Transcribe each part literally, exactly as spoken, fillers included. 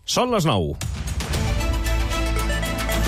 Són les nou.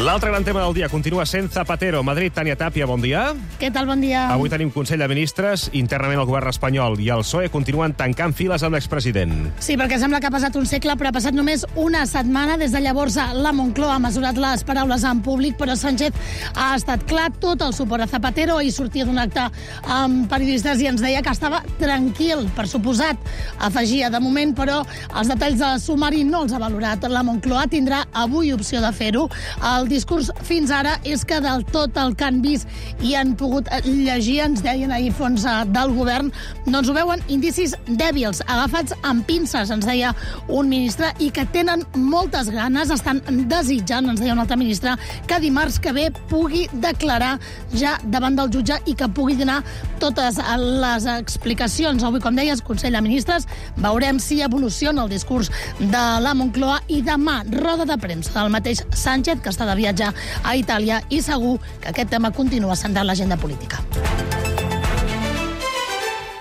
L'altre gran tema del dia continua sent Zapatero. Madrid, Tània Tàpia, bon dia. Què tal, bon dia? Avui tenim Consell de Ministres. Internament el govern espanyol i el P S O E continuen tancant files amb l'expresident. Sí, perquè sembla que ha passat un segle, però ha passat només una setmana. Des de llavors la Moncloa ha mesurat les paraules en públic, però Sánchez ha estat clar tot el suport a Zapatero. Ahir sortia d'un acte amb periodistes i ens deia que estava tranquil, per suposat. Afegia, de moment, però els detalls del sumari no els ha valorat. La Moncloa tindrà avui opció de fer-ho. El discurs fins ara és que del tot el que han vist i han pogut llegir, ens deien ahir fons del govern, doncs ho veuen indicis dèbils, agafats amb pinces, ens deia un ministre, i que tenen moltes ganes, estan desitjant, ens deia un altre ministre, que dimarts que ve pugui declarar ja davant del jutge i que pugui donar totes les explicacions. Avui, com deies, Consell de Ministres, veurem si evoluciona el discurs de la Moncloa i demà roda de premsa del mateix Sánchez, que està de viatge a Itàlia, i segur que aquest tema continua centrant l'agenda política.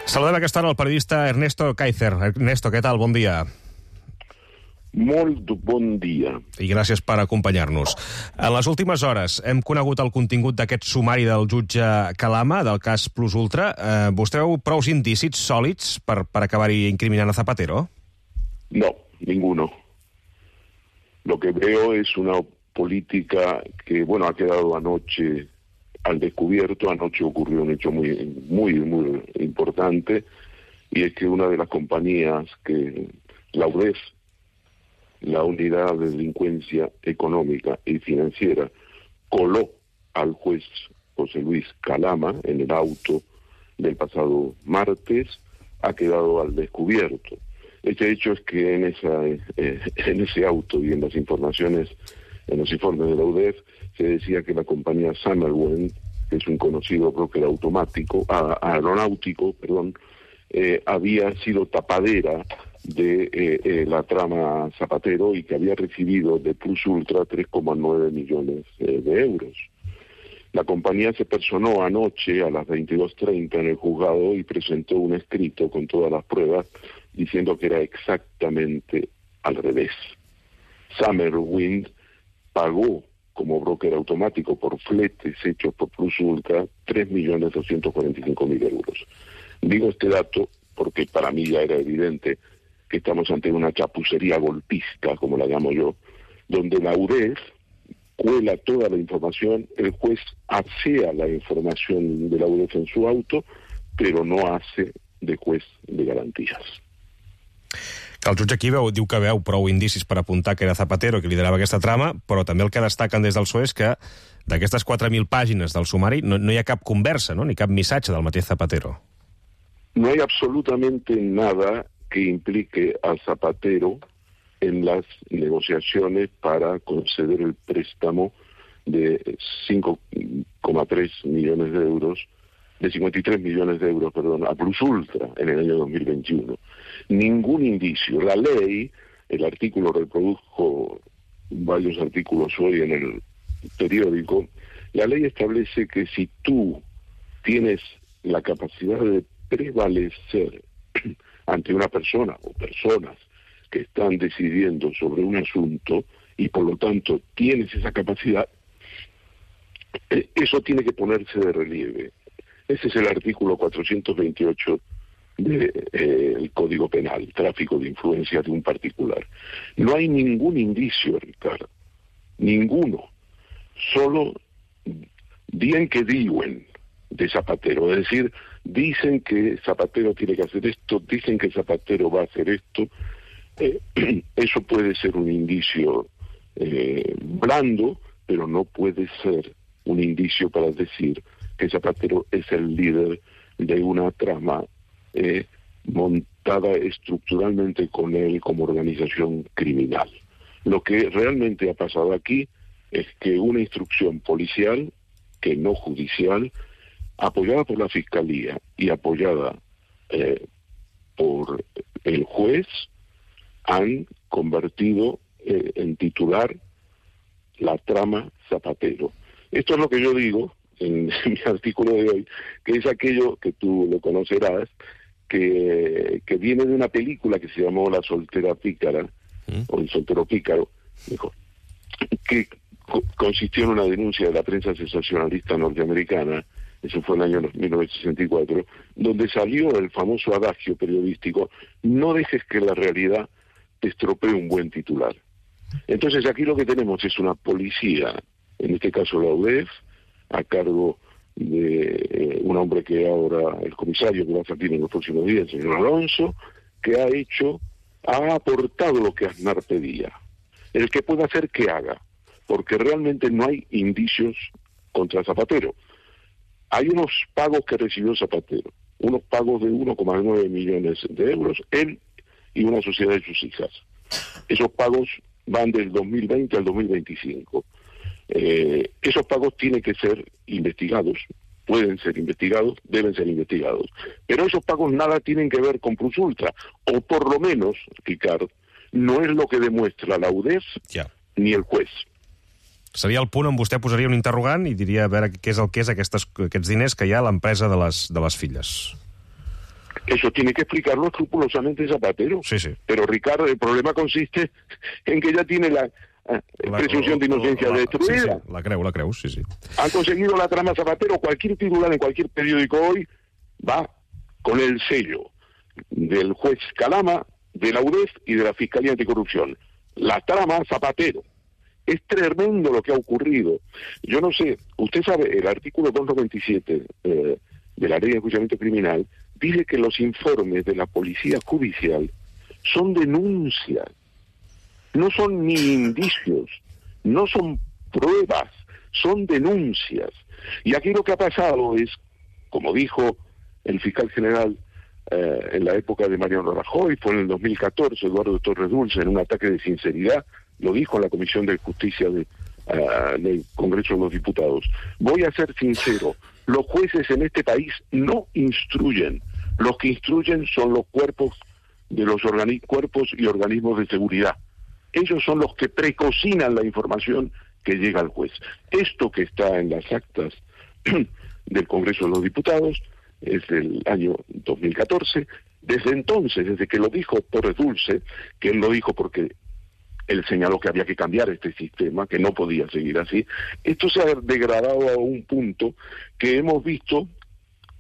Saludem a aquesta hora el periodista Ernesto Kaiser. Ernesto, què tal? Bon dia. Molt bon dia. I gràcies per acompanyar-nos. En les últimes hores hem conegut el contingut d'aquest sumari del jutge Calama, del cas Plus Ultra. Eh, vostè veu prou indicis sòlids per, per acabar-hi incriminant a Zapatero? No, ninguno. Lo que veo es una política que, bueno, ha quedado anoche al descubierto. Anoche ocurrió un hecho muy, muy, muy importante, y es que una de las compañías que, la U D E F, la Unidad de Delincuencia Económica y Financiera, coló al juez José Luis Calama en el auto del pasado martes, ha quedado al descubierto. Este hecho es que en, esa, eh, en ese auto y en las informaciones, en los informes de la U D E F, se decía que la compañía Summerwind, que es un conocido broker automático, ah, aeronáutico, perdón, eh, había sido tapadera de eh, eh, la trama Zapatero y que había recibido de Plus Ultra tres coma nueve millones eh, de euros. La compañía se personó anoche a las veintidós treinta en el juzgado y presentó un escrito con todas las pruebas diciendo que era exactamente al revés. Summerwind pagó como broker automático por fletes hechos por Plus Ultra tres millones doscientos cuarenta y cinco mil euros. Digo este dato porque para mí ya era evidente que estamos ante una chapucería golpista, como la llamo yo, donde la U D E F cuela toda la información, el juez asea la información de la U D E F en su auto, pero no hace de juez de garantías. Que el jutge aquí veu, diu que veu prou indicis per apuntar que era Zapatero que liderava aquesta trama, però també el que destaquen des del P S O E és que d'aquestes quatre mil pàgines del sumari no, no hi ha cap conversa, no? Ni cap missatge del mateix Zapatero. No hay absolutamente nada que implique a Zapatero en las negociaciones para conceder el préstamo de cinco coma tres millones de euros, de cincuenta y tres millones de euros, perdón, a Plus Ultra en el año dos mil veintiuno. Ningún indicio. La ley, el artículo, reprodujo varios artículos hoy en el periódico, la ley establece que si tú tienes la capacidad de prevalecer ante una persona o personas que están decidiendo sobre un asunto y por lo tanto tienes esa capacidad, eso tiene que ponerse de relieve. Ese es el artículo cuatrocientos veintiocho del eh, Código Penal, tráfico de influencia de un particular. No hay ningún indicio, Ricardo, ninguno, solo bien que diuen de Zapatero, es decir, dicen que Zapatero tiene que hacer esto, dicen que Zapatero va a hacer esto. Eh, eso puede ser un indicio eh, blando, pero no puede ser un indicio para decir que Zapatero es el líder de una trama eh, montada estructuralmente con él como organización criminal. Lo que realmente ha pasado aquí es que una instrucción policial, que no judicial, apoyada por la Fiscalía y apoyada eh, por el juez, han convertido eh, en titular la trama Zapatero. Esto es lo que yo digo en, en mi artículo de hoy, que es aquello que tú lo conocerás, que, que viene de una película que se llamó La soltera pícara, ¿Mm? o el soltero pícaro, dijo, que co consistió en una denuncia de la prensa sensacionalista norteamericana, eso fue en el año mil novecientos sesenta y cuatro, donde salió el famoso adagio periodístico: no dejes que la realidad te estropee un buen titular. Entonces aquí lo que tenemos es una policía, en este caso la U D E F, a cargo de eh, un hombre que ahora, el comisario que va a salir en los próximos días, el señor Alonso, que ha hecho, ha aportado lo que Aznar pedía. El que pueda hacer que haga, porque realmente no hay indicios contra Zapatero. Hay unos pagos que recibió Zapatero, unos pagos de uno coma nueve millones de euros, él y una sociedad de sus hijas. Esos pagos van del dos mil veinte al dos mil veinticinco. Eh, esos pagos tienen que ser investigados, pueden ser investigados, deben ser investigados. Pero esos pagos nada tienen que ver con Plus Ultra, o por lo menos, Ricardo, no es lo que demuestra la U D E F ja. ni el juez. Seria el punt on vostè posaria un interrogant i diria a veure què és el que és aquestes, aquests diners que hi ha a l'empresa de, les, de les filles. Eso tiene que explicarlo escrupulosamente Zapatero. Sí, sí. Pero, Ricardo, el problema consiste en que ya tiene la, la presunción de inocencia la, la, destruida. Sí, sí, la creu, la creu, sí, sí. Han conseguido la trama Zapatero. Cualquier titular en cualquier periódico hoy va con el sello del juez Calama, de la U D E F y de la Fiscalía Anticorrupción. La trama Zapatero. Es tremendo lo que ha ocurrido. Yo no sé, usted sabe, el artículo doscientos noventa y siete eh, de la Ley de Enjuiciamiento Criminal dice que los informes de la Policía Judicial son denuncias, no son ni indicios, no son pruebas, son denuncias. Y aquí lo que ha pasado es, como dijo el fiscal general eh, en la época de Mariano Rajoy, fue en el dos mil catorce, Eduardo Torres Dulce, en un ataque de sinceridad, lo dijo en la Comisión de Justicia de, uh, del Congreso de los Diputados. Voy a ser sincero, los jueces en este país no instruyen, los que instruyen son los cuerpos de los cuerpos y organismos de seguridad. Ellos son los que precocinan la información que llega al juez. Esto que está en las actas del Congreso de los Diputados es del año dos mil catorce. Desde entonces, desde que lo dijo Torres Dulce, que él lo dijo porque él señaló que había que cambiar este sistema, que no podía seguir así, esto se ha degradado a un punto que hemos visto,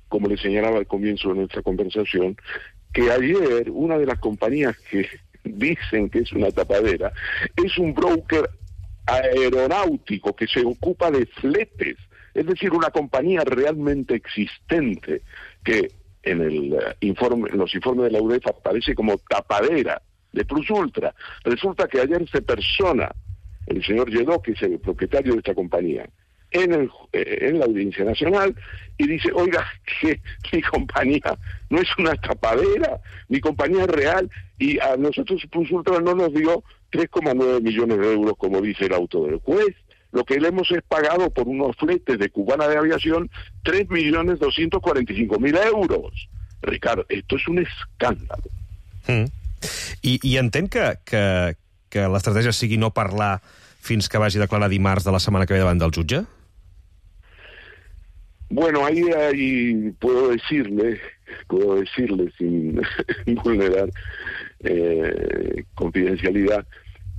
como le señalaba al comienzo de nuestra conversación, que ayer una de las compañías que dicen que es una tapadera es un broker aeronáutico que se ocupa de fletes, es decir, una compañía realmente existente que en el uh, informe, en los informes de la U D E F aparece como tapadera de Plus Ultra. Resulta que ayer se persona el señor Lledó, que es el propietario de esta compañía, en, el, eh, en la Audiencia Nacional, y dice, oiga, que mi compañía no es una tapadera, mi compañía es real, y a nosotros Plus Ultra no nos dio tres coma nueve millones de euros, como dice el auto del juez. Lo que le hemos es pagado por unos fletes de Cubana de Aviación tres millones doscientos cuarenta y cinco mil euros. Ricardo, esto es un escándalo. Mm. I, i entenc que, que, que l'estratègia sigui no parlar fins que vagi a declarar dimarts de la setmana que ve davant del jutge? Bueno, ahí, ahí puedo decirle, puedo decirle sin vulnerar eh, confidencialidad,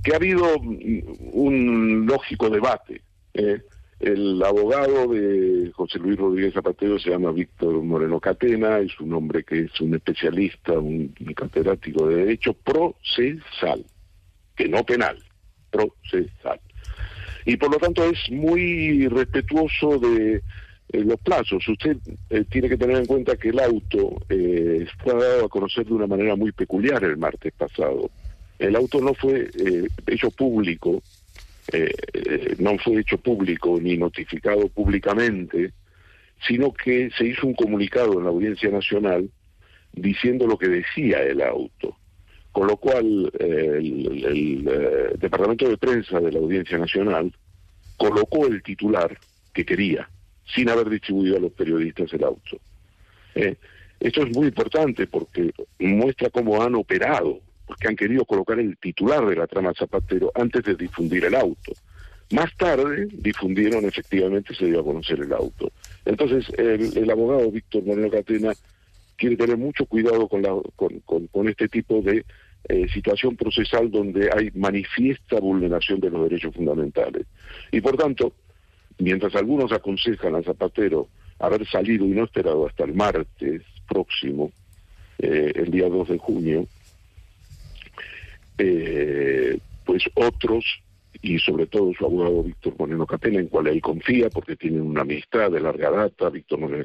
que ha habido un lógico debate. Eh. El abogado de José Luis Rodríguez Zapatero se llama Víctor Moreno Catena, es un hombre que es un especialista, un, un catedrático de Derecho procesal, que no penal, procesal. Y por lo tanto es muy respetuoso de eh, los plazos. Usted eh, tiene que tener en cuenta que el auto eh, fue dado a conocer de una manera muy peculiar el martes pasado. El auto no fue eh, hecho público, Eh, eh, no fue hecho público ni notificado públicamente, sino que se hizo un comunicado en la Audiencia Nacional diciendo lo que decía el auto, con lo cual eh, el, el, el eh, Departamento de Prensa de la Audiencia Nacional colocó el titular que quería, sin haber distribuido a los periodistas el auto. Eh, esto es muy importante porque muestra cómo han operado, porque han querido colocar el titular de la trama Zapatero antes de difundir el auto. Más tarde difundieron, efectivamente se dio a conocer el auto. Entonces el, el abogado Víctor Moreno Catena quiere tener mucho cuidado con, la, con, con, con este tipo de eh, situación procesal donde hay manifiesta vulneración de los derechos fundamentales. Y por tanto, mientras algunos aconsejan a Zapatero haber salido y no esperado hasta el martes próximo, eh, el día dos de junio, eh, pues otros, y sobre todo su abogado Víctor Moreno Catena, en cual él confía porque tienen una amistad de larga data. Víctor Moreno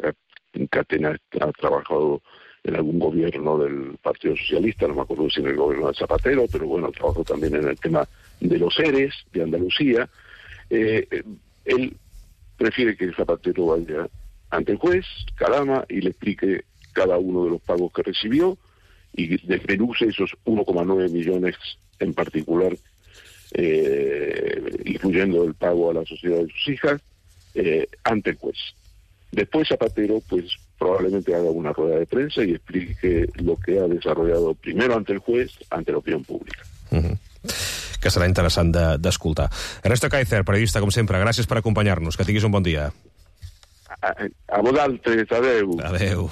Catena ha trabajado en algún gobierno del Partido Socialista, no me acuerdo si en el gobierno de Zapatero, pero bueno, trabajó también en el tema de los ERES de Andalucía. Eh, él prefiere que Zapatero vaya ante el juez, Calama, y le explique cada uno de los pagos que recibió y desmenuce esos uno coma nueve millones en particular, eh, incluyendo el pago a la sociedad de sus hijas, eh, ante el juez. Después Zapatero, pues, probablemente haga una rueda de prensa y explique lo que ha desarrollado primero ante el juez, ante la opinió pública. Uh-huh. Que serà interessant d'escoltar. De, Ernesto Kaiser, periodista, com sempre, gràcies per acompanyar-nos. Que tinguis un bon dia. A, a vosaltres, adeu. Adeu.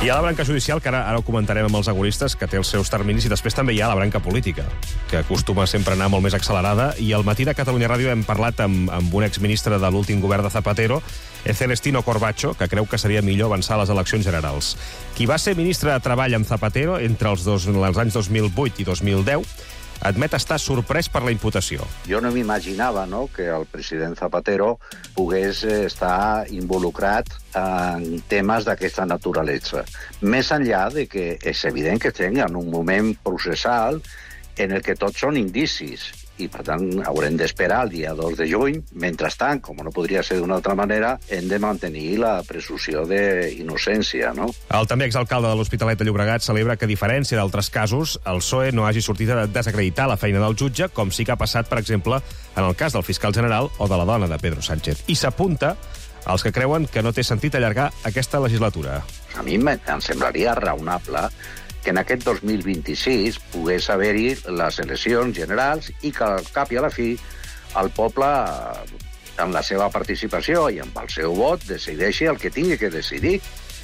Hi ha la branca judicial, que ara, ara ho comentarem amb els agoristes, que té els seus terminis, i després també hi ha la branca política, que acostuma sempre a anar molt més accelerada. I al matí de Catalunya Ràdio hem parlat amb, amb un exministre de l'últim govern de Zapatero, Celestino Corbacho, que creu que seria millor avançar a les eleccions generals. Qui va ser ministre de Treball amb Zapatero entre els, dos, els anys dos mil vuit i dos mil deu admet estar sorprès per la imputació. Jo no m'imaginava, no, que el president Zapatero pogués estar involucrat en temes d'aquesta naturalesa. Més enllà de que és evident que estem en un moment processal en el que tots són indicis i, per tant, haurem d'esperar el dia dos de juny. Mentrestant, com no podria ser d'una altra manera, hem de mantenir la presumpció d'innocència, no? El també exalcalde de l'Hospitalet de Llobregat celebra que, a diferència d'altres casos, el P S O E no hagi sortit a desacreditar la feina del jutge, com sí que ha passat, per exemple, en el cas del fiscal general o de la dona de Pedro Sánchez. I s'apunta als que creuen que no té sentit allargar aquesta legislatura. A mi em semblaria raonable que en aquest dos mil vint-i-sis pogués haver-hi les eleccions generals i que al cap i a la fi el poble, amb la seva participació i amb el seu vot, decideixi el que tingui que decidir.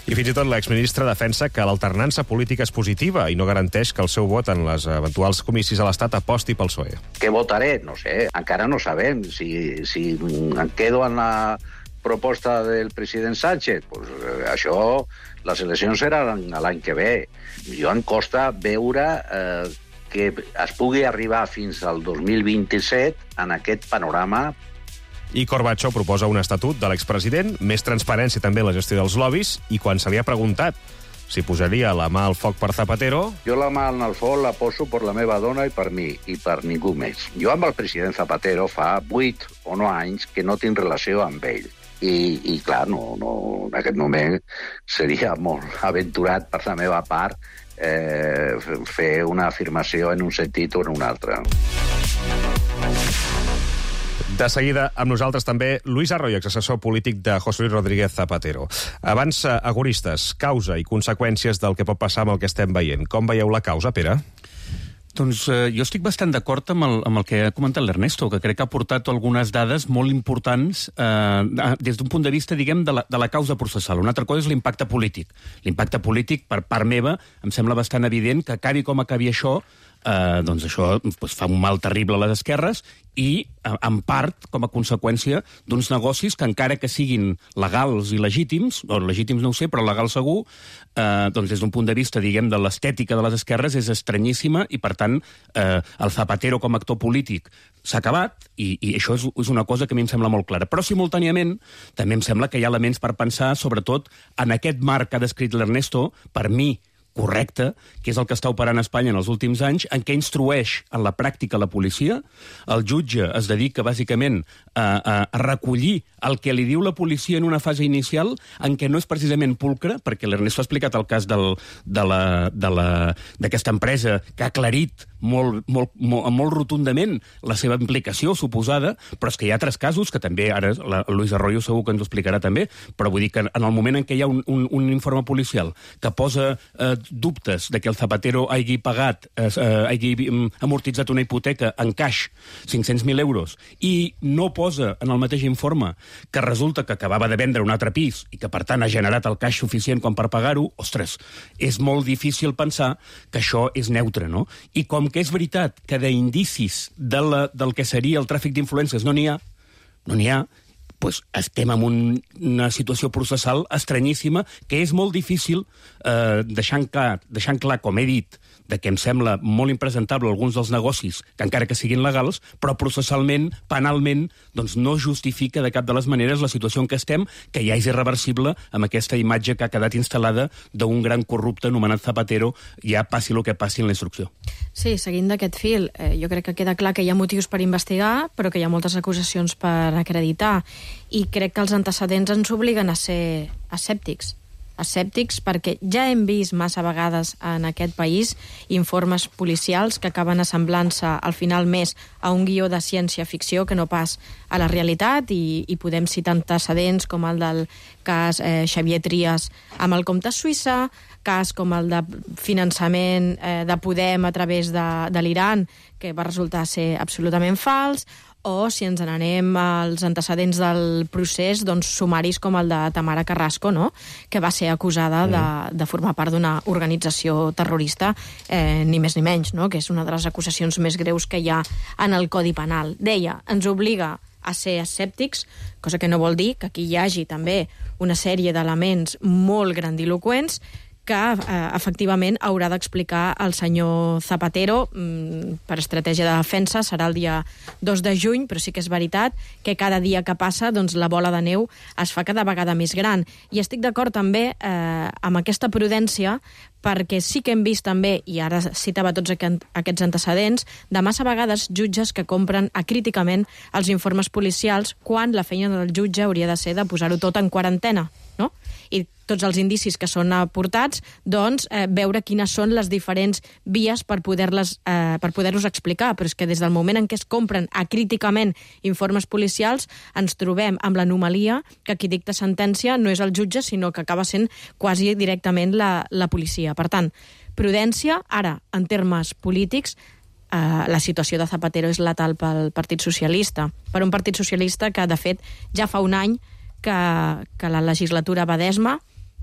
I fins i tot l'exministre defensa que l'alternança política és positiva i no garanteix que el seu vot en les eventuals comicis a l'Estat aposti pel P S O E. Què votaré? No sé, encara no sabem. Si, si em quedo en la proposta del president Sánchez, pues, eh, això, les eleccions seran l'any que ve. Jo em costa veure eh, que es pugui arribar fins al dos mil vint-i-set en aquest panorama. I Corbacho proposa un estatut de l'expresident, més transparència també en la gestió dels lobbies, i quan se li ha preguntat si posaria la mà al foc per Zapatero... Jo la mà al foc la poso per la meva dona i per mi, i per ningú més. Jo amb el president Zapatero fa vuit o nou anys que no tinc relació amb ell. I, i clar, no, no, en aquest moment seria molt aventurat per la meva part eh, fer una afirmació en un sentit o en un altre. De seguida, amb nosaltres també, Luis Arroyo, exassessor polític de José Luis Rodríguez Zapatero. Abans, agoristes, causa i conseqüències del que pot passar amb el que estem veient. Com veieu la causa, Pere? Doncs eh, jo estic bastant d'acord amb, el, amb el que ha comentat l'Ernesto, que crec que ha portat algunes dades molt importants eh, des d'un punt de vista, diguem, de la, de la causa processal. Una altra cosa és l'impacte polític. L'impacte polític, per part meva, em sembla bastant evident que acabi com acabi això, eh, doncs això doncs fa un mal terrible a les esquerres i, en part, com a conseqüència d'uns negocis que, encara que siguin legals i legítims, o legítims no ho sé, però legals segur, eh, doncs des d'un punt de vista, diguem, de l'estètica de les esquerres és estranyíssima i, per tant, eh, el Zapatero com a actor polític s'ha acabat i, i això és, és una cosa que a mi em sembla molt clara. Però, simultàniament, també em sembla que hi ha elements per pensar, sobretot, en aquest marc que ha descrit l'Ernesto, per mi, correcte, que és el que està operant a Espanya en els últims anys, en què instrueix en la pràctica la policia. El jutge es dedica, bàsicament, a, a, a recollir el que li diu la policia en una fase inicial, en què no és precisament pulcre, perquè l'Ernesto ha explicat el cas del, de la, de la, d'aquesta empresa que ha aclarit molt, molt, molt, molt rotundament la seva implicació suposada, però és que hi ha altres casos que també, ara la Luis Arroyo segur que ens ho explicarà també, però vull dir que en el moment en què hi ha un, un, un informe policial que posa eh, dubtes de que el Zapatero hagi pagat, eh, hagi amortitzat una hipoteca en caix, cinc-cents mil euros, i no posa en el mateix informe que resulta que acabava de vendre un altre pis i que, per tant, ha generat el caix suficient com per pagar-ho, ostres, és molt difícil pensar que això és neutre, no? I com que és veritat que d'indicis de la, del que seria el tràfic d'influències no n'hi ha, no n'hi ha, doncs estem en un, una situació processal estranyíssima que és molt difícil, eh, deixant, clar, deixant clar, com he dit, de que em sembla molt impresentable alguns dels negocis, que encara que siguin legals, però processalment, penalment, doncs no justifica de cap de les maneres la situació en què estem, que ja és irreversible amb aquesta imatge que ha quedat instal·lada d'un gran corrupte anomenat Zapatero, ja passi el que passi en la instrucció. Sí, seguint d'aquest fil, eh, jo crec que queda clar que hi ha motius per investigar, però que hi ha moltes acusacions per acreditar, i crec que els antecedents ens obliguen a ser escèptics. escèptics perquè ja hem vist massa vegades en aquest país informes policials que acaben assemblant-se al final més a un guió de ciència-ficció que no pas a la realitat, i, i podem citar antecedents com el del cas eh, Xavier Trias amb el compte Suïssa, cas com el de finançament eh, de Podem a través de, de l'Iran, que va resultar ser absolutament fals, o si ens n'anem als antecedents del procés, doncs sumaris com el de Tamara Carrasco, no?, que va ser acusada de, de formar part d'una organització terrorista, eh, ni més ni menys, no?, que és una de les acusacions més greus que hi ha en el Codi Penal. Deia, ens obliga a ser escèptics, cosa que no vol dir que aquí hi hagi també una sèrie d'elements molt grandiloquents que eh, efectivament haurà d'explicar el senyor Zapatero mm, per estratègia de defensa. Serà el dia dos de juny, però sí que és veritat que cada dia que passa doncs, la bola de neu es fa cada vegada més gran. I estic d'acord també eh, amb aquesta prudència, perquè sí que hem vist també, i ara citava tots aquests antecedents, de massa vegades jutges que compren acríticament els informes policials quan la feina del jutge hauria de ser de posar-ho tot en quarantena, no? I tots els indicis que són aportats, doncs, eh, veure quines són les diferents vies per poder-les eh, per poder-los explicar. Però és que des del moment en què es compren acríticament informes policials, ens trobem amb l'anomalia que qui dicta sentència no és el jutge, sinó que acaba sent quasi directament la, la policia. Per tant, prudència. Ara, en termes polítics, eh, la situació de Zapatero és letal pel Partit Socialista. Per un Partit Socialista que, de fet, ja fa un any que, que la legislatura va d'esma,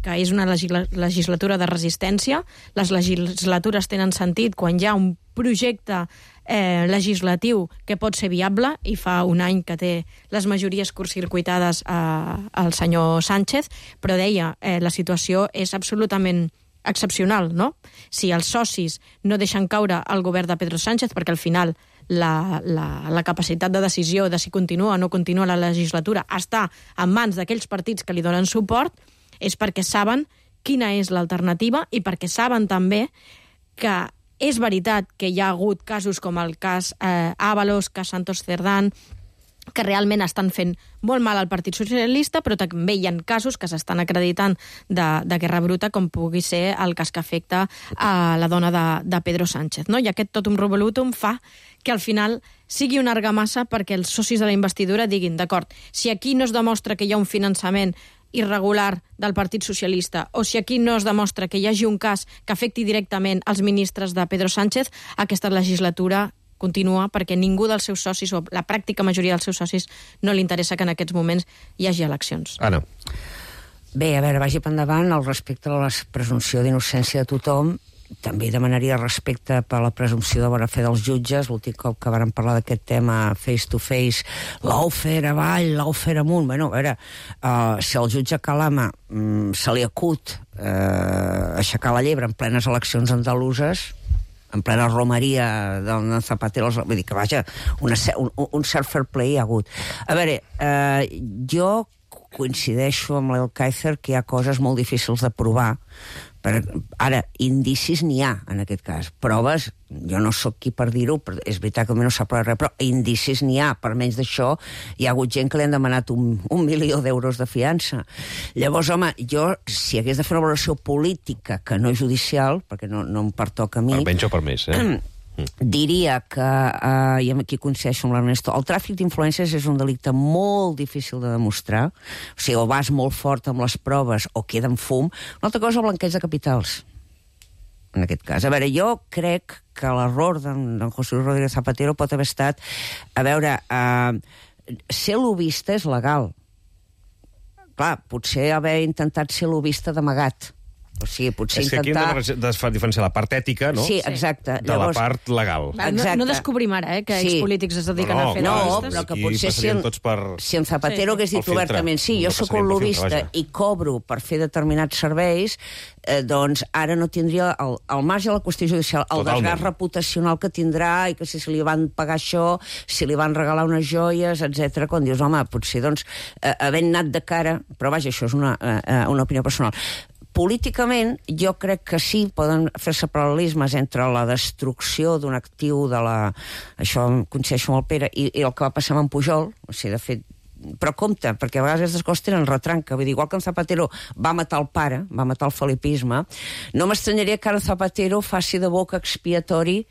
que és una legislatura de resistència. Les legislatures tenen sentit quan hi ha un projecte eh, legislatiu que pot ser viable, i fa un any que té les majories curtcircuitades eh, el senyor Sánchez, però deia, eh, la situació és absolutament excepcional, no? Si els socis no deixen caure el govern de Pedro Sánchez, perquè al final la, la, la capacitat de decisió de si continua o no continua la legislatura està en mans d'aquells partits que li donen suport, és perquè saben quina és l'alternativa i perquè saben també que és veritat que hi ha hagut casos com el cas eh, Ábalos, cas Santos Cerdán, que realment estan fent molt mal al Partit Socialista, però també hi ha casos que s'estan acreditant de, de guerra bruta, com pugui ser el cas que afecta a la dona de, de Pedro Sánchez, no? I aquest totum revolutum fa que al final sigui una argamassa perquè els socis de la investidura diguin, d'acord, si aquí no es demostra que hi ha un finançament irregular del Partit Socialista, o si aquí no es demostra que hi hagi un cas que afecti directament els ministres de Pedro Sánchez, aquesta legislatura continua perquè ningú dels seus socis, o la pràctica majoria dels seus socis, no li interessa que en aquests moments hi hagi eleccions. Anna. Bé, a veure, vagi per endavant al respecte a la presumpció d'innocència de tothom. També demanaria respecte per la presumpció de bona fe dels jutges. L'últim cop que vàrem parlar d'aquest tema face to face, l'aufer avall, l'aufer amunt. Bueno, a veure, uh, si el jutge Calama um, se li acut uh, aixecar la llebre en plenes eleccions andaluses, en plena romeria del Zapatero, vull dir que, vaja, una, un, un cert fair play hi ha hagut. A veure, eh, jo coincideixo amb l'Elkaizer que hi ha coses molt difícils de provar. Per, ara, indicis n'hi ha, en aquest cas. Proves, jo no sóc qui per dir-ho, però és veritat que no s'ha provat res, però indicis n'hi ha. Per menys d'això, hi ha hagut gent que li han demanat un, un milió d'euros de fiança. Llavors, home, jo, si hagués de fer una valoració política que no judicial, perquè no, no em pertoca a mi... Per menys o per més, eh? diria que, eh, i aquí coincideixo amb l'Ernesto, el tràfic d'influències és un delicte molt difícil de demostrar, o sigui, o vas molt fort amb les proves o queda en fum. Una altra cosa, el blanqueig de capitals, en aquest cas. A veure, jo crec que l'error d'en José Luis Rodríguez Zapatero pot haver estat, a veure, eh, ser lobista és legal. Clar, potser haver intentat ser lobista d'amagat. O sigui, potser és que intentar... aquí hem de diferenciar la part ètica, no? Sí, exacte. De Llavors... la part legal. No, no descobrim ara, eh, que sí. expolítics es dediquen no, no, a fer no, lobistes. però que potser si en, per... si en Zapatero sí. hagués dit obertament sí, jo sóc un lobista i cobro per fer determinats serveis, eh, doncs ara no tindria el, el marge de la qüestió judicial, el Totalment. desgast reputacional que tindrà i que si se li van pagar això, si li van regalar unes joies, etcètera. Quan dius, home, potser doncs, eh, havent anat de cara, però vaja, això és una, eh, una opinió personal. Políticament, jo crec que sí, poden fer-se paral·lelismes entre la destrucció d'un actiu de la... Això em coincideixo amb el Pere, i, i el que va passar amb en Pujol, o sigui, de fet, però compte, perquè a vegades aquestes coses tenen retranca, vull dir, igual que en Zapatero va matar el pare, va matar el felipisme, no m'estranyaria que ara Zapatero faci de boca expiatori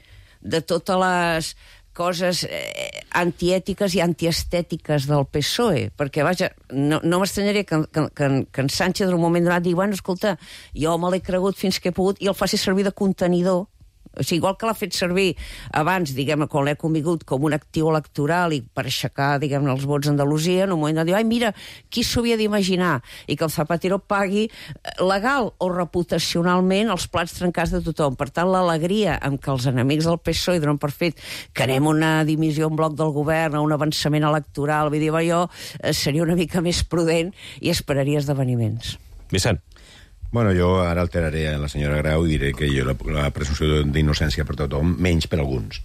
de totes les coses eh, antiètiques i antiestètiques del P S O E, perquè, vaja, no, no m'estranyaria que, que, que, que en Sánchez en un moment donat digui, bueno, escolta, jo me l'he cregut fins que he pogut, i el faci servir de contenidor. O sigui, igual que l'ha fet servir abans, diguem-ne, quan l'he convingut com un actiu electoral i per aixecar, diguem-ne, els vots d'Andalusia, en un moment de dir, ai, mira, qui s'ho havia d'imaginar? I que el Zapatero pagui legal o reputacionalment els plats trencats de tothom. Per tant, l'alegria amb què els enemics del P S O E donen per fet que anem una dimissió en bloc del govern, a un avançament electoral, vull dir, jo seria una mica més prudent i esperaria esdeveniments. Vicent. Bueno, jo ara alteraré a la senyora Grau i diré que jo la, la presumpció d'innocència per tothom, menys per alguns.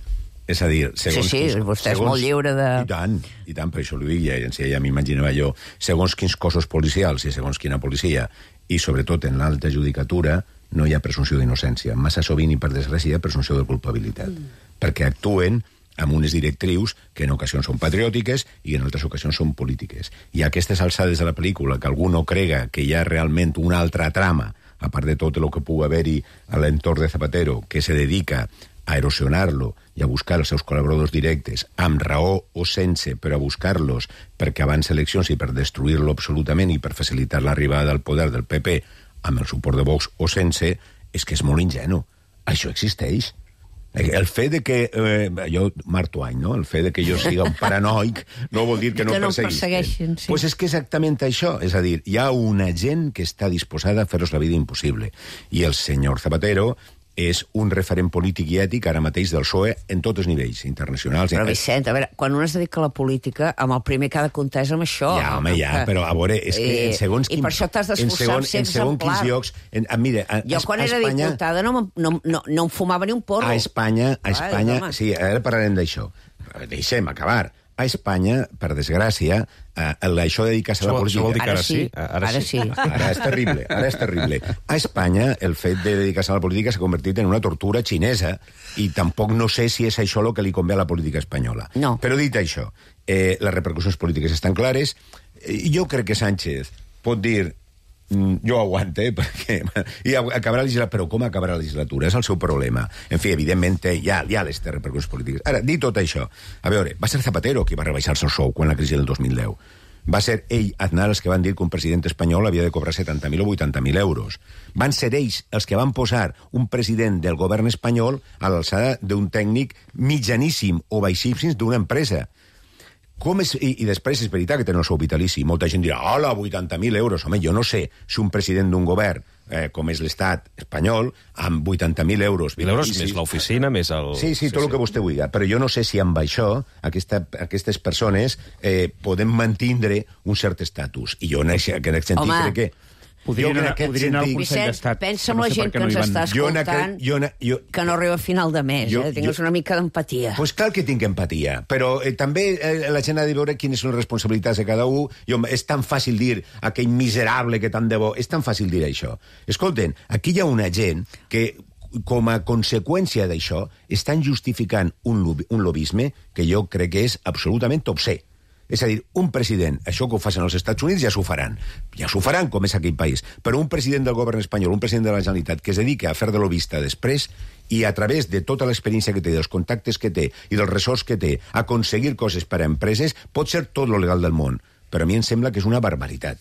És a dir, segons... Sí, sí, quins, vostè segons, és molt lliure de... I tant, i tant, per això l'ho dic, ja, ja m'imaginava jo, segons quins cossos policials i segons quina policia, i sobretot en l'alta judicatura, no hi ha presumpció d'innocència. Massa sovint, i per desgràcia, hi ha presumpció de culpabilitat. Mm. Perquè actuen amb unes directrius que en ocasions són patriòtiques i en altres ocasions són polítiques. I a aquestes alçades de la pel·lícula, que algú no crega que hi ha realment una altra trama, a part de tot el que pugui haver-hi a l'entorn de Zapatero, que se dedica a erosionar-lo i a buscar els seus col·laboradors directes, amb raó o sense, però a buscar-los perquè abans eleccions i per destruir-lo absolutament i per facilitar l'arribada al poder del P P amb el suport de Vox o sense, és que és molt ingenu. Això existeix. El fet de que... Eh, jo, Marc Twain, no? El fet de que jo siga un paranoic no vol dir que no, que no perseguisquen. persegueixin, sí. Pues és que exactament això. És a dir, hi ha una gent que està disposada a fer-los la vida impossible. I el senyor Zapatero és un referent polític i ètic ara mateix del P S O E en tots els nivells, internacionals... Però, Vicent, a veure, quan un es dedica a la política, amb el primer que ha de comptar és amb això. Ja, home, ja, però a veure, és que en segons... I per això t'has d'esforçar en ser exemplar. En segons quins llocs... En, mira, a, jo quan a era Espanya, diputada no, no, no, no em fumava ni un porro. A Espanya, a Espanya... Ai, sí, ara parlarem d'això. Deixem acabar. A Espanya, per desgràcia, eh, això de dedicar-se a la política... Això vol dir que ara ara sí? sí. Ara, ara sí. sí. Ara és terrible, ara és terrible. A Espanya, el fet de dedicar-se a la política s'ha convertit en una tortura xinesa i tampoc no sé si és això el que li convé a la política espanyola. No. Però dit això, eh, les repercussions polítiques estan clares. Eh, jo crec que Sánchez pot dir jo aguante, perquè... I acabarà la legislatura, però com acabarà la legislatura? És el seu problema. En fi, evidentment, hi ha, hi ha les repercussions polítiques. Ara, dit tot això, a veure, va ser Zapatero qui va rebaixar-se el sou quan la crisi del dos mil deu. Va ser ell, Aznar, els que van dir que un president espanyol havia de cobrar setanta mil o vuitanta mil euros. Van ser ells els que van posar un president del govern espanyol a l'alçada d'un tècnic mitjaníssim o baixíssim d'una empresa. Com és, i, I després és veritat que tenen el sou vitalici. Molta gent dirà, hola, vuitanta mil euros. Home, jo no sé si un president d'un govern, eh, com és l'estat espanyol, amb vuitanta mil euros... mil euros més l'oficina, més el... Sí, sí, tot sí, el que vostè vulgui. Però jo no sé si amb això aquesta, aquestes persones eh, podem mantindre un cert estatus. I jo en aquest sentit Home. crec que... Podrien anar, podrien anar al Consell d'Estat. Pensa en la gent que ens està escoltant, jo, jo, que no arriba a final de mes, jo, eh? Tingues jo, una mica d'empatia. Pues clar que tinc empatia, però eh, també eh, la gent ha de veure quines són les responsabilitats de cada un. Jo, és tan fàcil dir aquell miserable que tant de bo, és tan fàcil dir això. Escolten, aquí hi ha una gent que com a conseqüència d'això estan justificant un, un lobisme que jo crec que és absolutament obscè. És a dir, un president, això que ho facin als Estats Units ja s'ho faran, ja s'ho faran com és aquell país, però un president del govern espanyol, un president de la Generalitat que es dediqui a fer de lobista després i a través de tota l'experiència que té, dels contactes que té i dels ressorts que té, aconseguir coses per a empreses, pot ser tot lo legal del món, però a mi em sembla que és una barbaritat.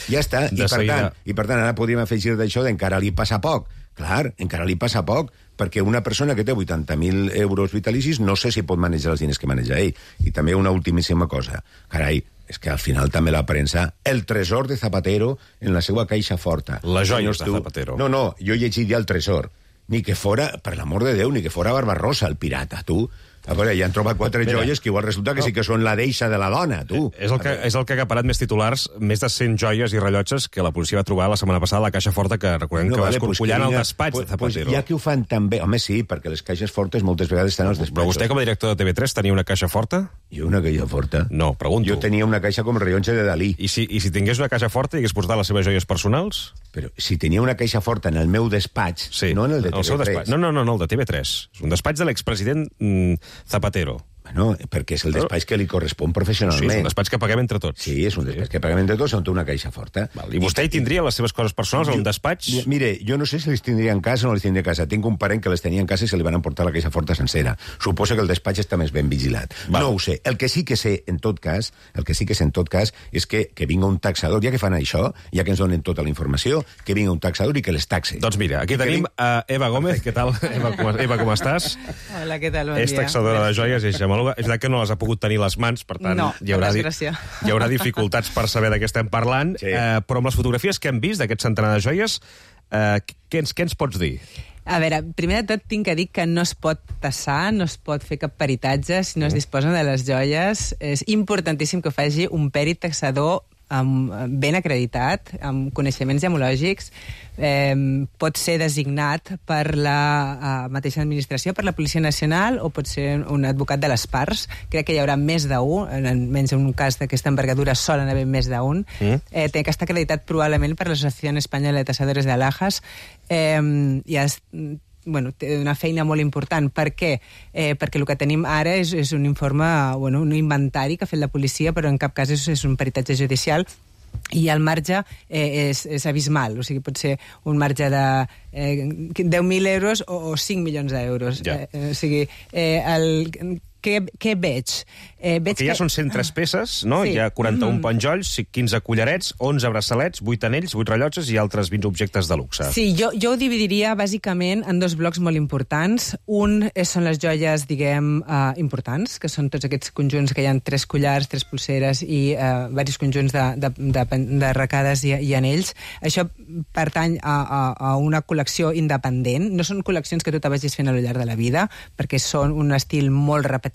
Ja està, i per, tant, i per tant ara podríem afegir d'això d'encara li passa poc. Clar, encara li passa poc, perquè una persona que té vuitanta mil euros vitalicis no sé si pot manejar els diners que maneja ell. I també una ultimíssima cosa. Carai, és que al final també la premsa, el tresor de Zapatero en la seva caixa forta. Les joies de Zapatero. No, no, jo llegiria el tresor. Ni que fora, per l'amor de Déu, ni que fora Barbarossa, el pirata, tu. A veure, ja han trobat quatre Mira, joies que igual resulta que no. sí que són la deixa de la dona, tu. És el, que, és el que ha acaparat més titulars, més de cent joies i rellotges que la policia va trobar la setmana passada a la caixa forta, que recordem no, que vale, va escorcollant pues el despatx pues, de Zapatero. Pues ja que ho fan també... Home, sí, perquè les caixes fortes moltes vegades estan als despatxos. Però vostè, com a director de T V tres, tenia una caixa forta? Jo una caixa forta? No, pregunto. Jo tenia una caixa com el rellotge de Dalí. I si, i si tingués una caixa forta i hagués portat les seves joies personals? Però si tenia una caixa forta en el meu despatx, sí, no en el de T V tres. No, no, no, no, el de T V tres. És un despatx de l'expresident mm, Zapatero. Bueno, perquè és el despatx que li correspon professionalment. Sí, és un despatx que paguem entre tots. Sí, és un despatx sí. que paguem entre tots, on té una caixa forta. Val. I vostè hi tindria les seves coses personals a un despatx? Mire, jo no sé si les tindria en casa o no les tindria a casa. Tinc un parent que les tenia en casa i se li van emportar la caixa forta sencera. Suposo que el despatx està més ben vigilat. Val. No ho sé. El que sí que sé, en tot cas, el que sí que sé en tot cas, és que, que vinga un taxador, ja que fan això, ja que ens donen tota la informació, que vinga un taxador i que les taxe. Doncs mira, aquí I tenim ving... a Eva Gómez. Què tal? Eva, com, Eva, com estàs? Hola, què tal? Bon és dia. taxadora de joies i és gemòloga. És veritat que no les ha pogut tenir les mans, per tant, no, hi, haurà di hi haurà dificultats per saber de què estem parlant, sí. eh, però amb les fotografies que hem vist d'aquest centenar de joies, eh, què, ens, què ens pots dir? A veure, primer de tot tinc que dir que no es pot tassar, no es pot fer cap peritatge si no es disposen de les joies. És importantíssim que ho faci un pèrit taxador amb, ben acreditat, amb coneixements gemològics, eh, pot ser designat per la eh, mateixa administració, per la Policia Nacional, o pot ser un advocat de les parts. Crec que hi haurà més d'un, menys en un cas d'aquesta envergadura solen haver més d'un. Mm. Eh, té que estar acreditat probablement per l'Associació Espanyola de Tasadores de Alhajas. Eh, i es, bueno, té una feina molt important. Per què? Eh, perquè el que tenim ara és, és un informe, bueno, un inventari que ha fet la policia, però en cap cas és, és un peritatge judicial, i el marge eh, és, és abismal. O sigui, pot ser un marge de eh, deu mil euros o, o cinc milions d'euros. Ja. Eh, o sigui, eh, el... Què, què veig? Eh, veig que ja que... són cent tres peces, no? Sí. Hi ha quaranta-un mm. penjolls, quinze collarets, onze braçalets, vuit anells, vuit rellotges i altres vint objectes de luxe. Sí, jo, jo ho dividiria bàsicament en dos blocs molt importants. Un són les joies, diguem, uh, importants, que són tots aquests conjunts que hi ha tres collars, tres polseres i uh, diversos conjunts de, de, de, de arracades i, i anells. Això pertany a, a, a una col·lecció independent. No són col·leccions que tu te vagis fent a lo llarg de la vida, perquè són un estil molt repetitiu,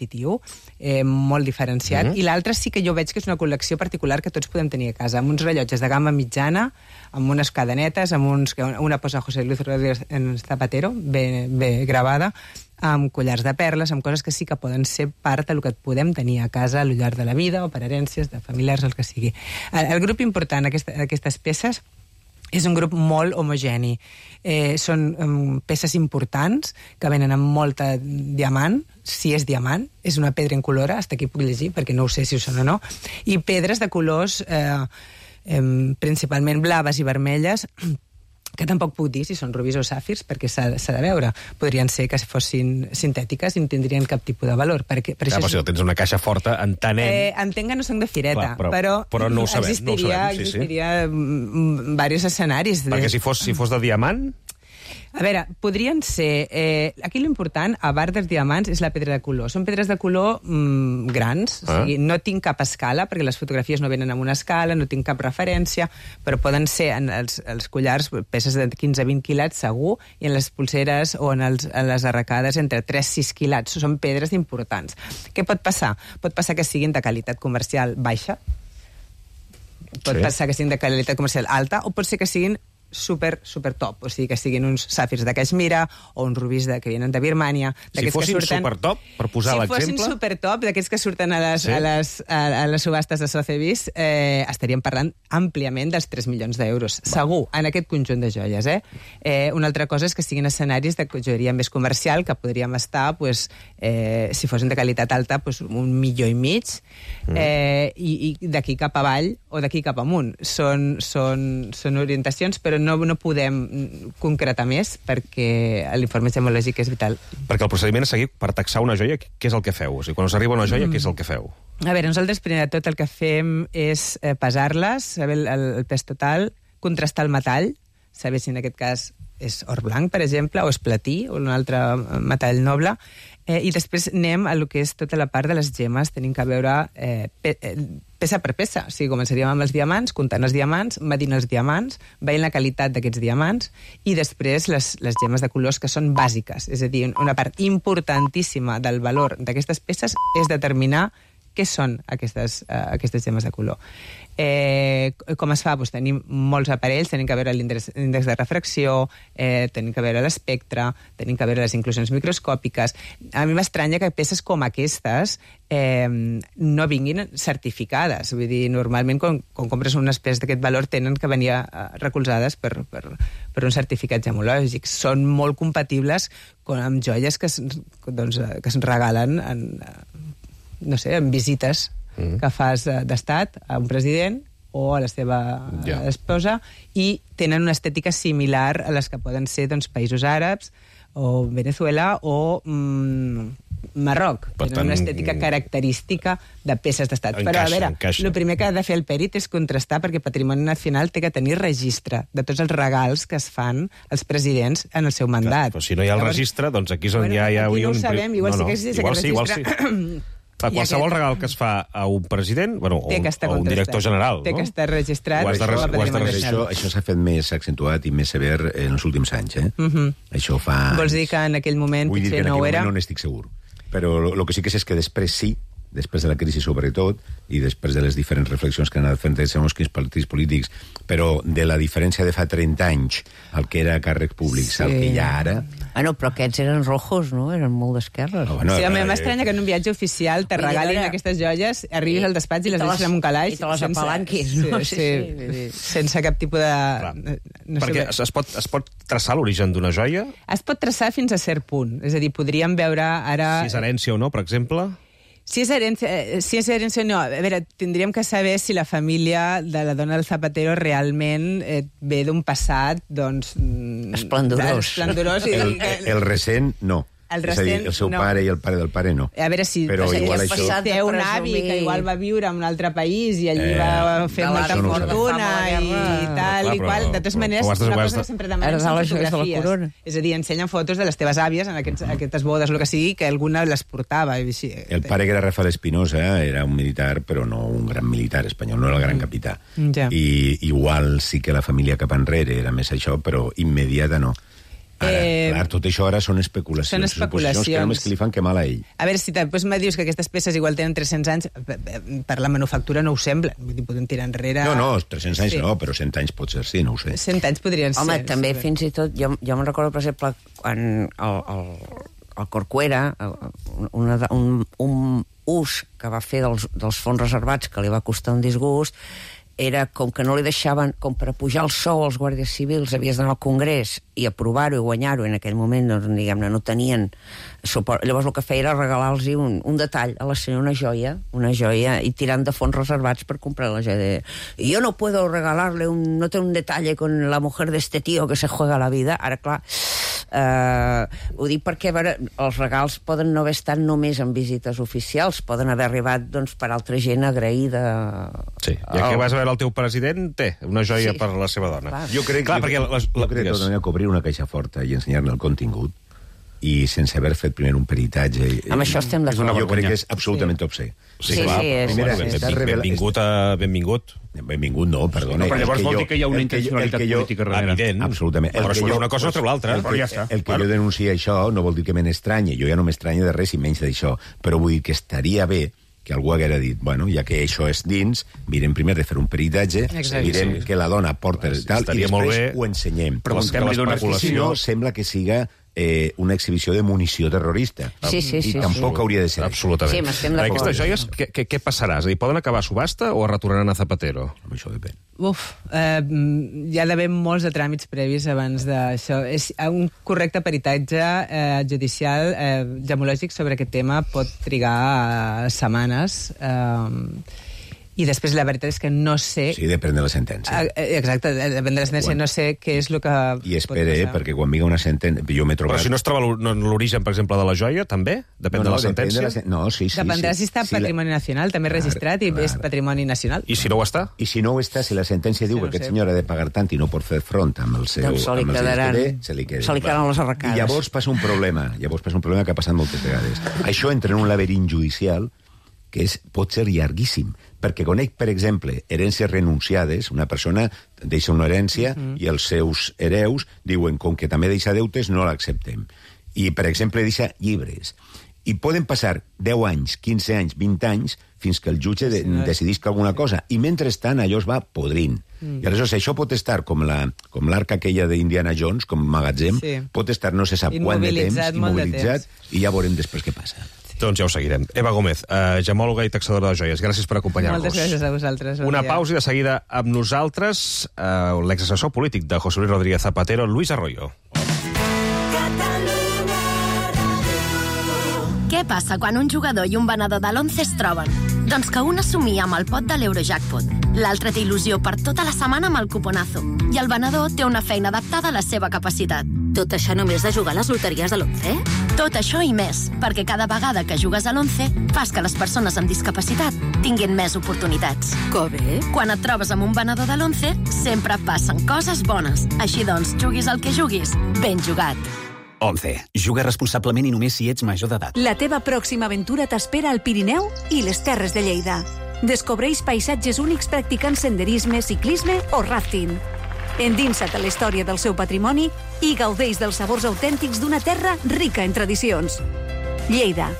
eh, molt diferenciat, mm-hmm. i l'altre sí que jo veig que és una col·lecció particular que tots podem tenir a casa, amb uns rellotges de gamma mitjana, amb unes cadenetes, amb uns, una posa José Luis Rodríguez en Zapatero, ben, ben gravada, amb collars de perles, amb coses que sí que poden ser part del que podem tenir a casa al llarg de la vida, o per herències, de familiars, el que sigui. El, el grup important d'aquestes peces és un grup molt homogeni. Eh, són um, peces importants que venen amb molta diamant, si és diamant, és una pedra incolora, hasta aquí puc llegir, perquè no ho sé si ho són o no, i pedres de colors eh, eh, principalment blaves i vermelles, que tampoc puc dir si són rubis o sàfirs, perquè s'ha de veure. Podrien ser que fossin sintètiques i no tindrien cap tipus de valor. Perquè, per ja, això però si tens una caixa forta, entenem... Eh, entenc que no són de fireta, clar, però, però, però no ho sabem, existiria, no ho sabem, sí, existiria sí. diversos escenaris. De... Perquè si fos, si fos de diamant... A veure, podrien ser... Eh, aquí l'important, a part dels diamants, és la pedra de color. Són pedres de color mm, grans, ah. o sigui, no tinc cap escala, perquè les fotografies no venen amb una escala, no tinc cap referència, però poden ser en els, els collars peces de quinze a vint quilats, segur, i en les pulseres o en, els, en les arracades entre tres a sis quilats. Són pedres importants. Què pot passar? Pot passar que siguin de qualitat comercial baixa, pot sí. passar que siguin de qualitat comercial alta, o pot ser que siguin super, super top, o sigui, que siguin uns sàfirs de Caixmira o uns rubis de, que vienen de Birmània. Si fossin surten, super top, per posar si l'exemple... Si fossin super top, d'aquests que surten a les, sí. a les, a, a les subhastes de Sotheby's, eh, estaríem parlant àmpliament dels tres milions d'euros. Segur, en aquest conjunt de joies. Eh? Eh, una altra cosa és que siguin escenaris de joieria més comercial, que podríem estar, pues, eh, si fossin de qualitat alta, pues, un milió i mig, mm. eh, i, i d'aquí cap avall o d'aquí cap amunt. Són, són, són orientacions, però no, no podem concretar més perquè l'informe gemològic és vital. Perquè el procediment a seguir per taxar una joia, què és el que feu? O sigui, quan us arriba una joia, mm. què és el que feu? A veure, nosaltres primer de tot el que fem és eh, pesar-les, saber el, el pes total, contrastar el metall, saber si en aquest cas és or blanc, per exemple, o és platí, o un altre metall noble, eh, i després anem a lo que és tota la part de les gemes, tenim que veure eh, pe eh, peça per peça. O sigui, començaríem amb els diamants, comptant els diamants, medint els diamants, veient la qualitat d'aquests diamants, i després les, les gemes de colors que són bàsiques. És a dir, una part importantíssima del valor d'aquestes peces és determinar què són aquestes, uh, aquestes gemes de color. Eh, com es fa? Pues tenim molts aparells, tenim que veure l'índex de refracció, eh, tenim que veure l'espectre, tenim que veure les inclusions microscòpiques. A mi m'estranya que peces com aquestes eh, no vinguin certificades. Vull dir, normalment quan, quan compres unes peces d'aquest valor tenen que venir uh, recolzades per, per, per un certificat gemològic. Són molt compatibles amb joies que es, doncs, que es regalen en, no sé, en visites mm. que fas d'estat a un president o a la seva yeah. esposa, i tenen una estètica similar a les que poden ser doncs, països àrabs o Venezuela o mm, Marroc. Per tenen tant, una estètica característica de peces d'estat. Però, a veure, el primer que ha de fer el pèrit és contrastar, perquè Patrimoni Nacional té que tenir registre de tots els regals que es fan als presidents en el seu mandat. Clar, però si no hi ha el Llavors, registre, doncs aquí és on bueno, ja hi ha... Aquí no un... ho sabem, igual no, no. sí que existeix igual aquest sí, registre. Igual sí. Clar, qualsevol aquest... regal que es fa a un president, bueno, o, o un director general, té no? que estar registrat. Ho has de, això, ho has de això, això s'ha fet més accentuat i més sever en els últims anys, eh? Uh -huh. Això fa... Vols dir que en aquell moment Vull dir que en no aquell era? moment no n'estic segur. Però el que sí que és, és que després sí, després de la crisi sobretot, i després de les diferents reflexions que han anat fent segons quins partits polítics, però de la diferència de fa trenta anys al que era càrrecs públics, sí. al que hi ha ara... Ah, no, però aquests eren rojos, no? Eren molt d'esquerres. Oh, bueno, sí, a mi m'estranya que en un viatge oficial te regalin aquestes joies, arribis al despatx i les deixis en un calaix. I te les apalanquis, no? Sí, sí, sí, sense cap tipus de... Clar, no perquè sé, es, pot, es pot traçar l'origen d'una joia? Es pot traçar fins a cert punt. És a dir, podríem veure ara... Si és herència o no, per exemple... Si és herència, si és herència o no, a veure, tindríem que saber si la família de la dona del Zapatero realment eh, ve d'un passat, doncs... Esplendorós. Esplendorós. I, el, el, el recent, no. El recent, és a dir, el seu no. pare i el pare del pare no. A veure si però igual això... té un avi que igual va viure en un altre país i allí eh, va fer molta fortuna i tal i qual. De totes maneres, una cosa que sempre demanem són fotografies. És a dir, ensenyen fotos de les teves àvies en aquests, aquestes bodes, el que sigui, que alguna les portava. El pare, que era Rafael Espinosa, era un militar, però no un gran militar espanyol, no era el gran capità. Ja. I igual sí que la família cap enrere era més això, però immediata no. Ara, eh, clar, tot això ara són especulacions. Són especulacions. Que només que li fan que mal a ell. A veure, si després me dius que aquestes peces igual tenen tres-cents anys, per la manufactura no ho sembla. Vull dir, podem tirar enrere... No, no, tres-cents anys sí. no, però cent anys pot ser, sí, no ho sé. cent anys podrien Home, ser. Home, també sí. fins i tot... Jo, jo me'n recordo, per exemple, quan el, el, el Corcuera, una, un, un ús que va fer dels, dels fons reservats que li va costar un disgust, era com que no li deixaven, com per pujar el sou als guàrdies civils, havies d'anar al Congrés i aprovar-ho i guanyar-ho, en aquell moment, doncs, diguem-ne, no tenien suport. Llavors el que feia era regalar-los un, un detall a la senyora, una joia, una joia, i tirant de fons reservats per comprar la joia. I jo no puedo regalarle, un, no té un detalle con la mujer de este tío que se juega la vida. Ara, clar, eh, ho dic perquè, a veure, els regals poden no haver estat només en visites oficials, poden haver arribat, doncs, per altra gent agraïda. Sí, ja que vas a veure el teu president, té una joia sí. per la seva dona. Clar. Jo crec, clar, jo, perquè les, jo crec que tot que obrir una caixa forta i ensenyar-ne el contingut i sense haver fet primer un peritatge... Amb això estem d'acord. Jo crec que és absolutament sí. obscè. Sí, sí, clar, sí és. Primera, bueno, benvingut, revela... benvingut, a... benvingut. Benvingut no, perdona. No, però llavors vol dir que hi ha una intencionalitat jo, política darrere. Evident, absolutament. Però el que jo, una cosa o treu l'altra. El, que, ja està. el que bueno. jo denuncio això no vol dir que me n'estranyi. Jo ja no m'estranyo de res i menys d'això. Però vull dir que estaria bé que algú haguera dit, bueno, ja que això és dins, mirem primer de fer un peritatge, Exacte. mirem Sí. que la dona porta Sí, tal, i estaria molt després bé. ho ensenyem. Preguntem-li d'una Si no, sembla que siga eh, una exhibició de munició terrorista. Sí, sí, sí, I tampoc sí. hauria de ser. Absolutament. Sí, m'estem d'acord. Aquestes joies, què, què, què passarà? És a dir, poden acabar a subhasta o es retornaran a Zapatero? Això. Això depèn. Uf, eh, hi ha d'haver molts de tràmits previs abans d'això. És un correcte peritatge eh, judicial, eh, gemològic sobre aquest tema pot trigar eh, setmanes. Eh, I després la veritat és que no sé... Sí, depèn de la sentència. Eh, Exacte, depèn de la sentència, Quan- no sé què és el que I pot espere, eh, passar. perquè quan vinga una sentència... Jo m'he trobat... Però si no es troba l'or- no, l'origen, per exemple, de la joia, també? Depèn de la depèn sentència? la sen- No, sí, sí. Dependrà sí. si està Si la- Patrimoni Nacional, també registrat, i Clar, és clar. Patrimoni Nacional. I si no ho està? I si no ho està, si la sentència diu no que aquest sé. senyor ha de pagar tant i no pot fer front amb el seu... Doncs se li amb els diners quedaran- que té, se li, queda. se li quedaran les arracades. I llavors passa un problema, llavors passa un problema que ha passat moltes vegades. Això entra en un laberint judicial que és, pot ser llarguíssim, perquè conec, per exemple, herències renunciades, una persona deixa una herència uh -huh. i els seus hereus diuen, com que també deixa deutes, no l'acceptem. I, per exemple, deixa llibres. I poden passar deu anys, quinze anys, vint anys, fins que el jutge de, decidisca alguna cosa. I mentrestant allò es va podrint. Mm. I aleshores això pot estar com la com l'arca aquella d'Indiana Jones, com magatzem, Sí. pot estar no se sap quant de temps, Immobilitzat molt de immobilitzat, temps. i ja veurem després què passa. Doncs ja ho seguirem. Eva Gómez, eh, gemòloga i taxadora de joies, gràcies per acompanyar-nos. Moltes gràcies a vosaltres. Bon Una dia. pausa i de seguida amb nosaltres eh, l'exassessor polític de José Luis Rodríguez Zapatero, Luis Arroyo. Què passa quan un jugador i un venedor de l'once es troben? Doncs que un assumia amb el pot de l'Eurojackpot, l'altre té il·lusió per tota la setmana amb el cuponazo, i el venedor té una feina adaptada a la seva capacitat. Tot això només de jugar a les loteries de l'once? Tot això i més, perquè cada vegada que jugues a l'once fas que les persones amb discapacitat tinguin més oportunitats. Que bé. Quan et trobes amb un venedor de l'once, sempre passen coses bones. Així doncs, juguis el que juguis, ben jugat. once. Juga responsablement i només si ets major d'edat. La teva pròxima aventura t'espera al Pirineu i les Terres de Lleida. Descobreix paisatges únics practicant senderisme, ciclisme o rafting. Endinsa't a la història del seu patrimoni i gaudeix dels sabors autèntics d'una terra rica en tradicions. Lleida.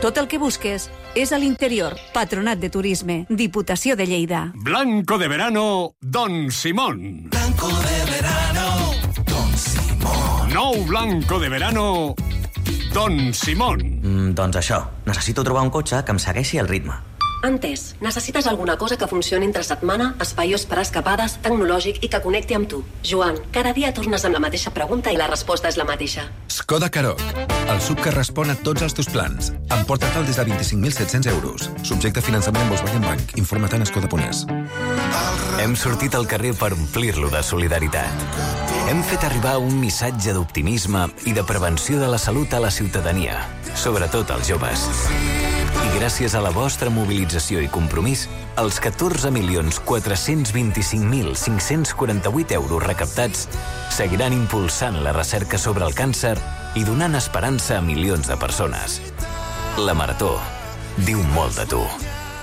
Tot el que busques és a l'interior. Patronat de Turisme. Diputació de Lleida. Blanco de verano, Don Simón. Blanco de verano, Don Simón. Nou blanco de verano, Don Simón. Mm, doncs això, necessito trobar un cotxe que em segueixi el ritme. Entès. Necessites alguna cosa que funcioni entre setmana, espaiós per escapades, tecnològic i que connecti amb tu. Joan, cada dia tornes amb la mateixa pregunta i la resposta és la mateixa. Skoda Karoq, el sub que respon a tots els teus plans. Emporta-te'l des de vint-i-cinc mil set-cents euros. Subjecte a finançament en Volkswagen Bank. Informa't en skoda punt es. Hem sortit al carrer per omplir-lo de solidaritat. Hem fet arribar un missatge d'optimisme i de prevenció de la salut a la ciutadania, sobretot als joves. I gràcies a la vostra mobilització i compromís, els catorze milions quatre-cents vint-i-cinc mil cinc-cents quaranta-vuit euros recaptats seguiran impulsant la recerca sobre el càncer i donant esperança a milions de persones. La Marató diu molt de tu.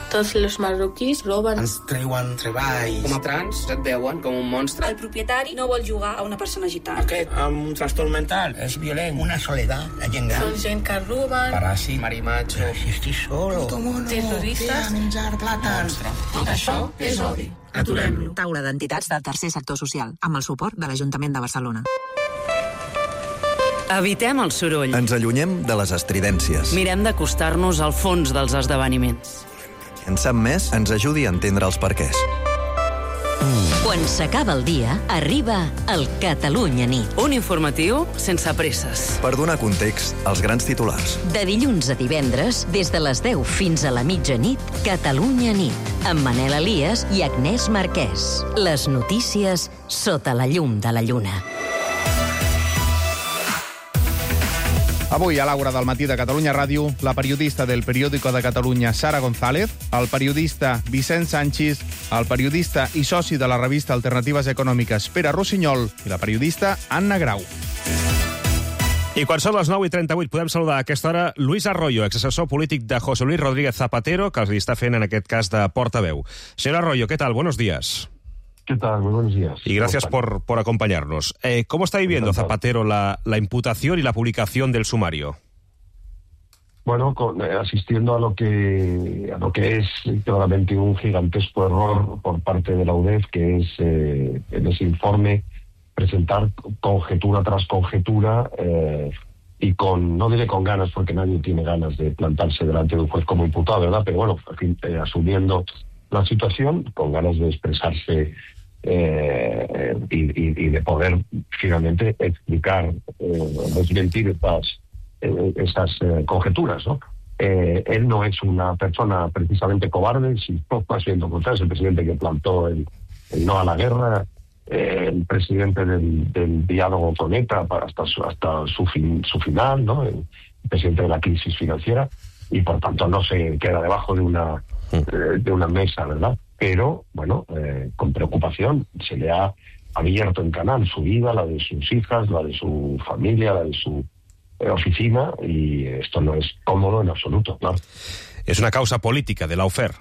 Tots els marroquís roben. Ens treuen treball. Com a trans et veuen com un monstre. El propietari no vol jugar a una persona gitana. Aquest, amb un trastorn mental, és violent. Una soledat, la gent gran. Són gent que roben. Paràsit, marimacho. Si estic solo. Terroristes. menjar plàtans. Tot això és odi. Aturem-lo. Taula d'entitats del tercer sector social, amb el suport de l'Ajuntament de Barcelona. Evitem el soroll. Ens allunyem de les estridències. Mirem d'acostar-nos al fons dels esdeveniments. En sap més ens ajudi a entendre els perquès. Quan s'acaba el dia, arriba el Catalunya nit. Un informatiu sense presses. Per donar context als grans titulars. De dilluns a divendres, des de les deu fins a la mitjanit, Catalunya nit, amb Manel Elias i Agnès Marquès. Les notícies sota la llum de la lluna. Avui, a l'Aura del matí de Catalunya Ràdio, la periodista del Periódico de Catalunya, Sara González, el periodista Vicent Sanchis, el periodista i soci de la revista Alternatives Econòmiques, Pere Rossinyol, i la periodista Anna Grau. I quan són les nou i trenta-vuit podem saludar a aquesta hora Luis Arroyo, exassessor polític de José Luis Rodríguez Zapatero, que els està fent en aquest cas de portaveu. Señor Arroyo, ¿qué tal? Buenos días. ¿Qué tal? Muy buenos días. Y gracias por, por acompañarnos. Eh, ¿Cómo está viviendo Zapatero la, la imputación y la publicación del sumario? bueno, con, eh, asistiendo a lo que a lo que es claramente un gigantesco error por parte de la U D E F, que es eh, en ese informe presentar conjetura tras conjetura eh, y con, no diré con ganas, porque nadie tiene ganas de plantarse delante de un juez como imputado, ¿verdad? Pero bueno, en fin, eh, asumiendo la situación, con ganas de expresarse eh, y, y, y de poder finalmente explicar, eh, desmentir estas esas eh, conjeturas, ¿no? Eh, él no es una persona precisamente cobarde, sino más bien lo contrario, es el presidente que plantó el, el no a la guerra, eh, el presidente del, del diálogo con ETA hasta su, hasta su, fin, su final, ¿no? El presidente de la crisis financiera, y por tanto no se queda debajo de una, eh, de una mesa, ¿verdad? Pero, bueno, eh, con preocupación se le ha abierto en canal su vida, la de sus hijas, la de su familia, la de su oficina, y esto no es cómodo en absoluto, claro. Es una causa política de lawfare.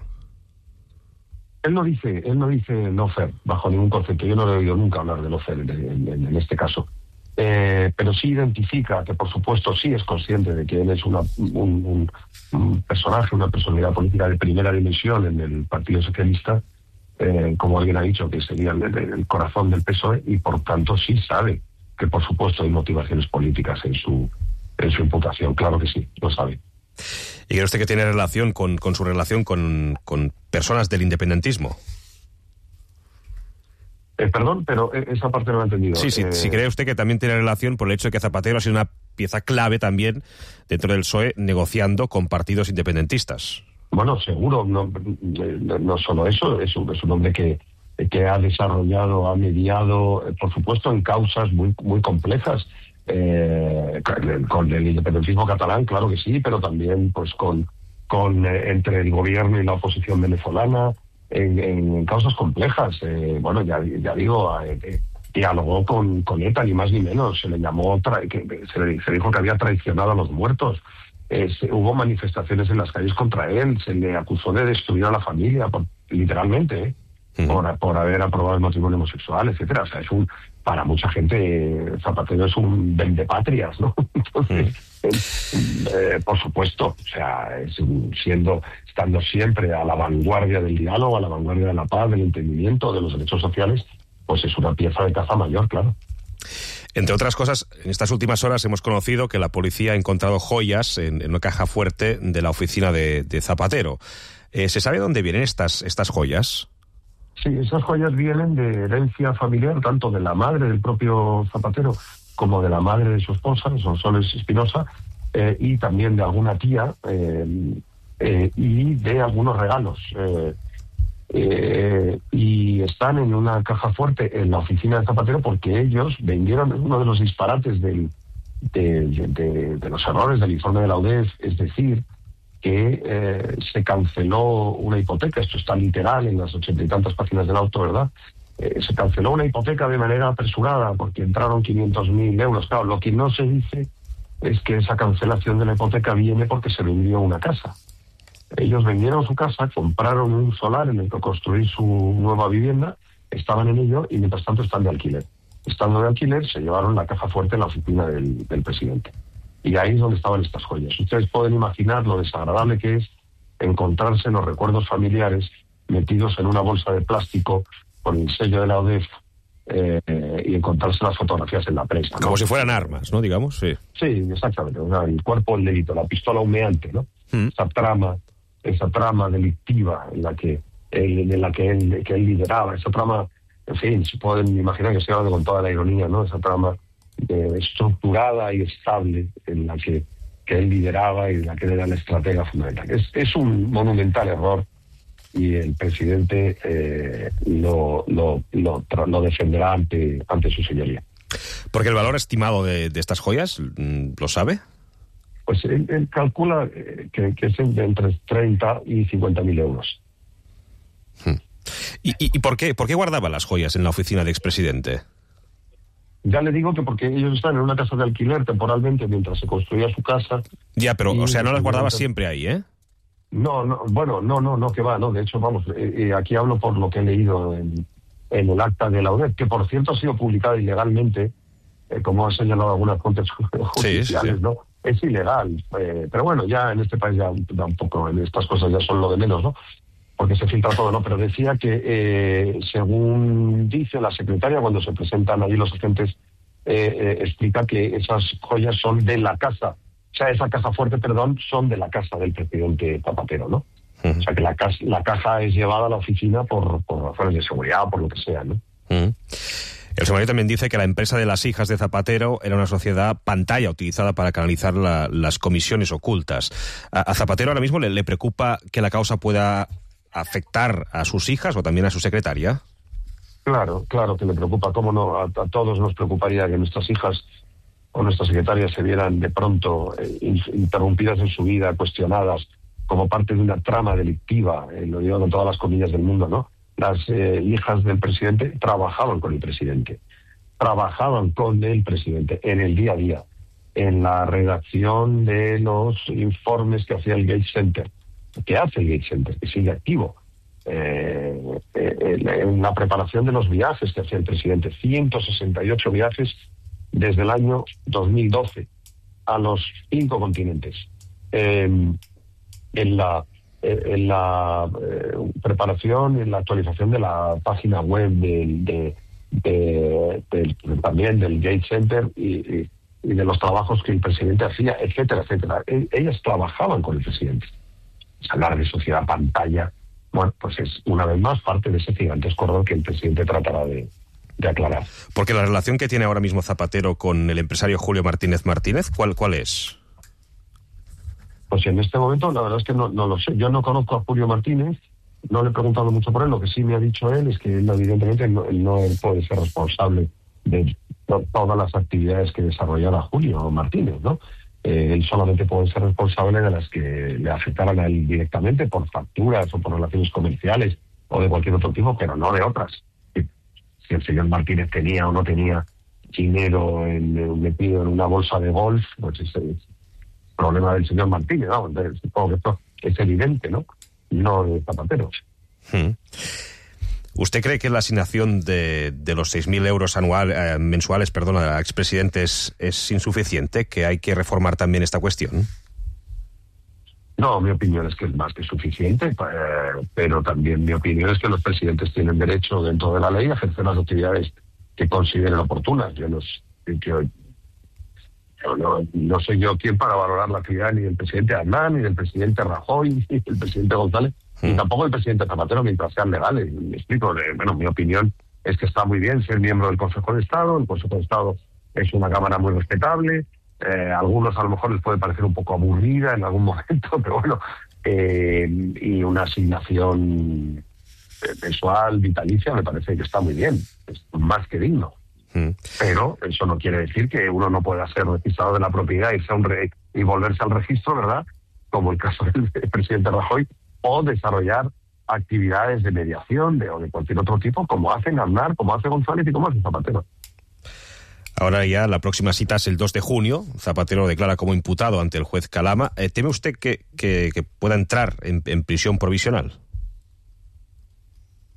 Él no dice, él no dice lawfare bajo ningún concepto. Yo no le he oído nunca hablar de lawfare en, en, en este caso. Eh, pero sí identifica que, por supuesto, sí es consciente de que él es una, un, un, un personaje, una personalidad política de primera dimensión en el Partido Socialista, eh, como alguien ha dicho, que sería el, el corazón del P S O E, y por tanto sí sabe que, por supuesto, hay motivaciones políticas en su en su imputación, claro que sí, lo sabe. ¿Y cree usted que tiene relación con, con su relación con, con personas del independentismo? Eh, perdón, pero esa parte no la he entendido. Sí, sí, eh... sí, cree usted que también tiene relación por el hecho de que Zapatero ha sido una pieza clave también dentro del P S O E negociando con partidos independentistas. Bueno, seguro, no, no solo eso, es un, es un hombre que, que ha desarrollado, ha mediado, por supuesto, en causas muy, muy complejas, Eh, con el independentismo catalán, claro que sí, pero también pues con, con eh, entre el gobierno y la oposición venezolana en, en causas complejas. Eh, bueno, ya, ya digo, eh, dialogó con, con ETA, ni más ni menos. Se le llamó, tra- que, se, le, se dijo que había traicionado a los muertos. Eh, se, hubo manifestaciones en las calles contra él, se le acusó de destruir a la familia, por, literalmente, ¿eh? Por, por haber aprobado el matrimonio homosexual, etcétera. O sea, es un, para mucha gente, Zapatero es un vendepatrias, ¿no? Entonces, es, eh, por supuesto, o sea, es un, siendo, estando siempre a la vanguardia del diálogo, a la vanguardia de la paz, del entendimiento, de los derechos sociales, pues es una pieza de caza mayor, claro. Entre otras cosas, en estas últimas horas hemos conocido que la policía ha encontrado joyas en, en una caja fuerte de la oficina de, de Zapatero. Eh, ¿Se sabe dónde vienen estas, estas joyas? Sí, esas joyas vienen de herencia familiar, tanto de la madre del propio Zapatero como de la madre de su esposa, Sonsoles Espinosa, eh, y también de alguna tía, eh, eh, y de algunos regalos. Eh, eh, y están en una caja fuerte en la oficina de Zapatero porque ellos vendieron uno de los disparates del, de, de, de, de los errores del informe de la U D E F, es decir, que eh, se canceló una hipoteca, esto está literal en las ochenta y tantas páginas del auto, ¿verdad? Eh, se canceló una hipoteca de manera apresurada porque entraron quinientos mil euros. Claro, lo que no se dice es que esa cancelación de la hipoteca viene porque se vendió una casa. Ellos vendieron su casa, compraron un solar en el que construir su nueva vivienda, estaban en ello y mientras tanto están de alquiler. Estando de alquiler se llevaron la caja fuerte en la oficina del, del presidente. Y ahí es donde estaban estas joyas. Ustedes pueden imaginar lo desagradable que es encontrarse los recuerdos familiares metidos en una bolsa de plástico con el sello de la U D E F eh, y encontrarse las fotografías en la prensa, ¿no? Como si fueran armas, ¿no? Digamos, sí. Sí, exactamente. O sea, el cuerpo del delito, la pistola humeante, ¿no? Mm. Esa trama, esa trama delictiva en la que él, en la que él, que él lideraba, esa trama, en fin, se pueden imaginar que se habla con toda la ironía, ¿no? Esa trama Eh, estructurada y estable en la que, que él lideraba y en la que era la estratega fundamental. Es, es un monumental error y el presidente eh, lo, lo, lo, lo defenderá ante, ante su señoría. Porque el valor estimado de, de estas joyas, ¿lo sabe? Pues él, él calcula que, que es de entre treinta y cincuenta mil euros. Hmm. ¿Y, y, y por qué, por qué guardaba las joyas en la oficina del expresidente? Ya le digo que porque ellos están en una casa de alquiler temporalmente mientras se construía su casa. Ya, pero, y, o sea, no las guardaba siempre ahí, ¿eh? No, no, bueno, no, no, no, que va, no. De hecho, vamos, eh, eh, aquí hablo por lo que he leído en, en el acta de la U D E F, que por cierto ha sido publicada ilegalmente, eh, como han señalado algunas fuentes judiciales, sí, sí, sí. ¿no? es ilegal. Eh, pero bueno, ya en este país ya tampoco, en estas cosas ya son lo de menos, ¿no? Porque se filtra todo, ¿no? Pero decía que, eh, según dice la secretaria, cuando se presentan allí los agentes, eh, eh, explica que esas joyas son de la casa, o sea, esa caja fuerte, perdón, son de la casa del presidente Zapatero, ¿no? Uh-huh. O sea, que la, casa, la caja es llevada a la oficina por, por razones de seguridad, por lo que sea, ¿no? Uh-huh. El sumario también dice que la empresa de las hijas de Zapatero era una sociedad pantalla utilizada para canalizar la, las comisiones ocultas. A, a Zapatero ahora mismo le, le preocupa que la causa pueda afectar a sus hijas o también a su secretaria. Claro, claro que le preocupa. ¿Cómo no? A, a todos nos preocuparía que nuestras hijas o nuestras secretarias se vieran de pronto eh, interrumpidas en su vida, cuestionadas, como parte de una trama delictiva, eh, lo digo con todas las comillas del mundo, ¿no? Las eh, hijas del presidente trabajaban con el presidente, trabajaban con el presidente en el día a día, en la redacción de los informes que hacía el Gates Center, que hace el Gates Center, que sigue activo, eh, eh, en la preparación de los viajes que hacía el presidente, ciento sesenta y ocho viajes desde el año dos mil doce a los cinco continentes, eh, en la en la eh, preparación, en la actualización de la página web del, de, de, de, de, también del Gates Center y, y, y de los trabajos que el presidente hacía, etcétera, etcétera. E, ellas trabajaban con el presidente. Hablar de sociedad pantalla, bueno, pues es una vez más parte de ese gigantesco rol que el presidente tratará de, de aclarar. Porque la relación que tiene ahora mismo Zapatero con el empresario Julio Martínez Martínez, ¿cuál, cuál es? Pues en este momento la verdad es que no, no lo sé. Yo no conozco a Julio Martínez, no le he preguntado mucho por él. Lo que sí me ha dicho él es que él, evidentemente no, él no puede ser responsable de to- todas las actividades que desarrollara Julio Martínez, ¿no? Eh, él solamente puede ser responsable de las que le afectaran a él directamente por facturas o por relaciones comerciales o de cualquier otro tipo, pero no de otras. Si el señor Martínez tenía o no tenía dinero en, metido en una bolsa de golf, pues ese es problema del señor Martínez, ¿no? Entonces, supongo que esto es evidente, ¿no? No de Zapatero. Hmm. ¿Usted cree que la asignación de, de los seis mil euros anual, eh, mensuales perdón, a expresidentes es insuficiente? ¿Que hay que reformar también esta cuestión? No, mi opinión es que es más que suficiente, eh, pero también mi opinión es que los presidentes tienen derecho, dentro de la ley, a ejercer las actividades que consideren oportunas. Yo no, yo, yo no, no soy yo quien para valorar la actividad ni del presidente Aznar, ni del presidente Rajoy, ni del presidente González, mm. ni tampoco del presidente Zapatero, mientras sean legales. Me explico, eh, bueno, mi opinión es que está muy bien ser miembro del Consejo de Estado. El Consejo de Estado es una cámara muy respetable. Eh, a algunos a lo mejor les puede parecer un poco aburrida en algún momento, pero bueno, eh, y una asignación mensual, vitalicia, me parece que está muy bien, es más que digno. Mm. Pero eso no quiere decir que uno no pueda ser registrado de la propiedad irse a un re- y volverse al registro, ¿verdad? Como el caso del presidente Rajoy, o desarrollar actividades de mediación de, o de cualquier otro tipo, como hacen Aznar, como hace González y como hace Zapatero. Ahora ya la próxima cita es el dos de junio. Zapatero lo declara como imputado ante el juez Calama. Eh, ¿Teme usted que, que, que pueda entrar en, en prisión provisional?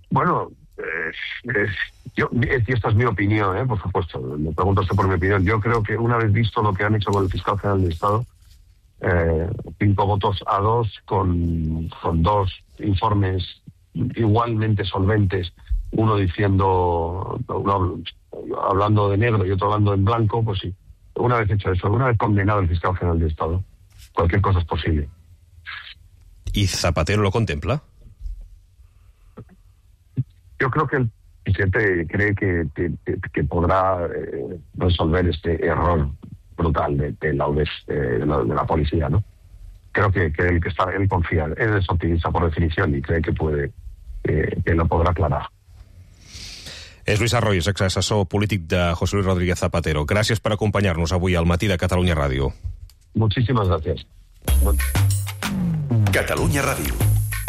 Bueno, eh, eh, yo, y esta es mi opinión, eh, por supuesto. Me pregunto usted por mi opinión. Yo creo que una vez visto lo que han hecho con el fiscal general del Estado, eh, cinco votos a dos con, con dos informes igualmente solventes, uno diciendo, uno hablando de negro y otro hablando en blanco, pues sí, una vez hecho eso, una vez condenado el fiscal general del Estado, cualquier cosa es posible. ¿Y Zapatero lo contempla? Yo creo que el presidente cree que, que, que podrá eh, resolver este error brutal de, de, la, de, la, de la policía, ¿no? Creo que, que él que está, él confía, él es optimista por definición y cree que puede, eh, que lo podrà aclarar. És Lluís Arroyo, exassessor polític de José Luis Rodríguez Zapatero. Gràcies per acompanyar-nos avui al Matí de Catalunya Ràdio. Muchísimas gracias. Catalunya Ràdio.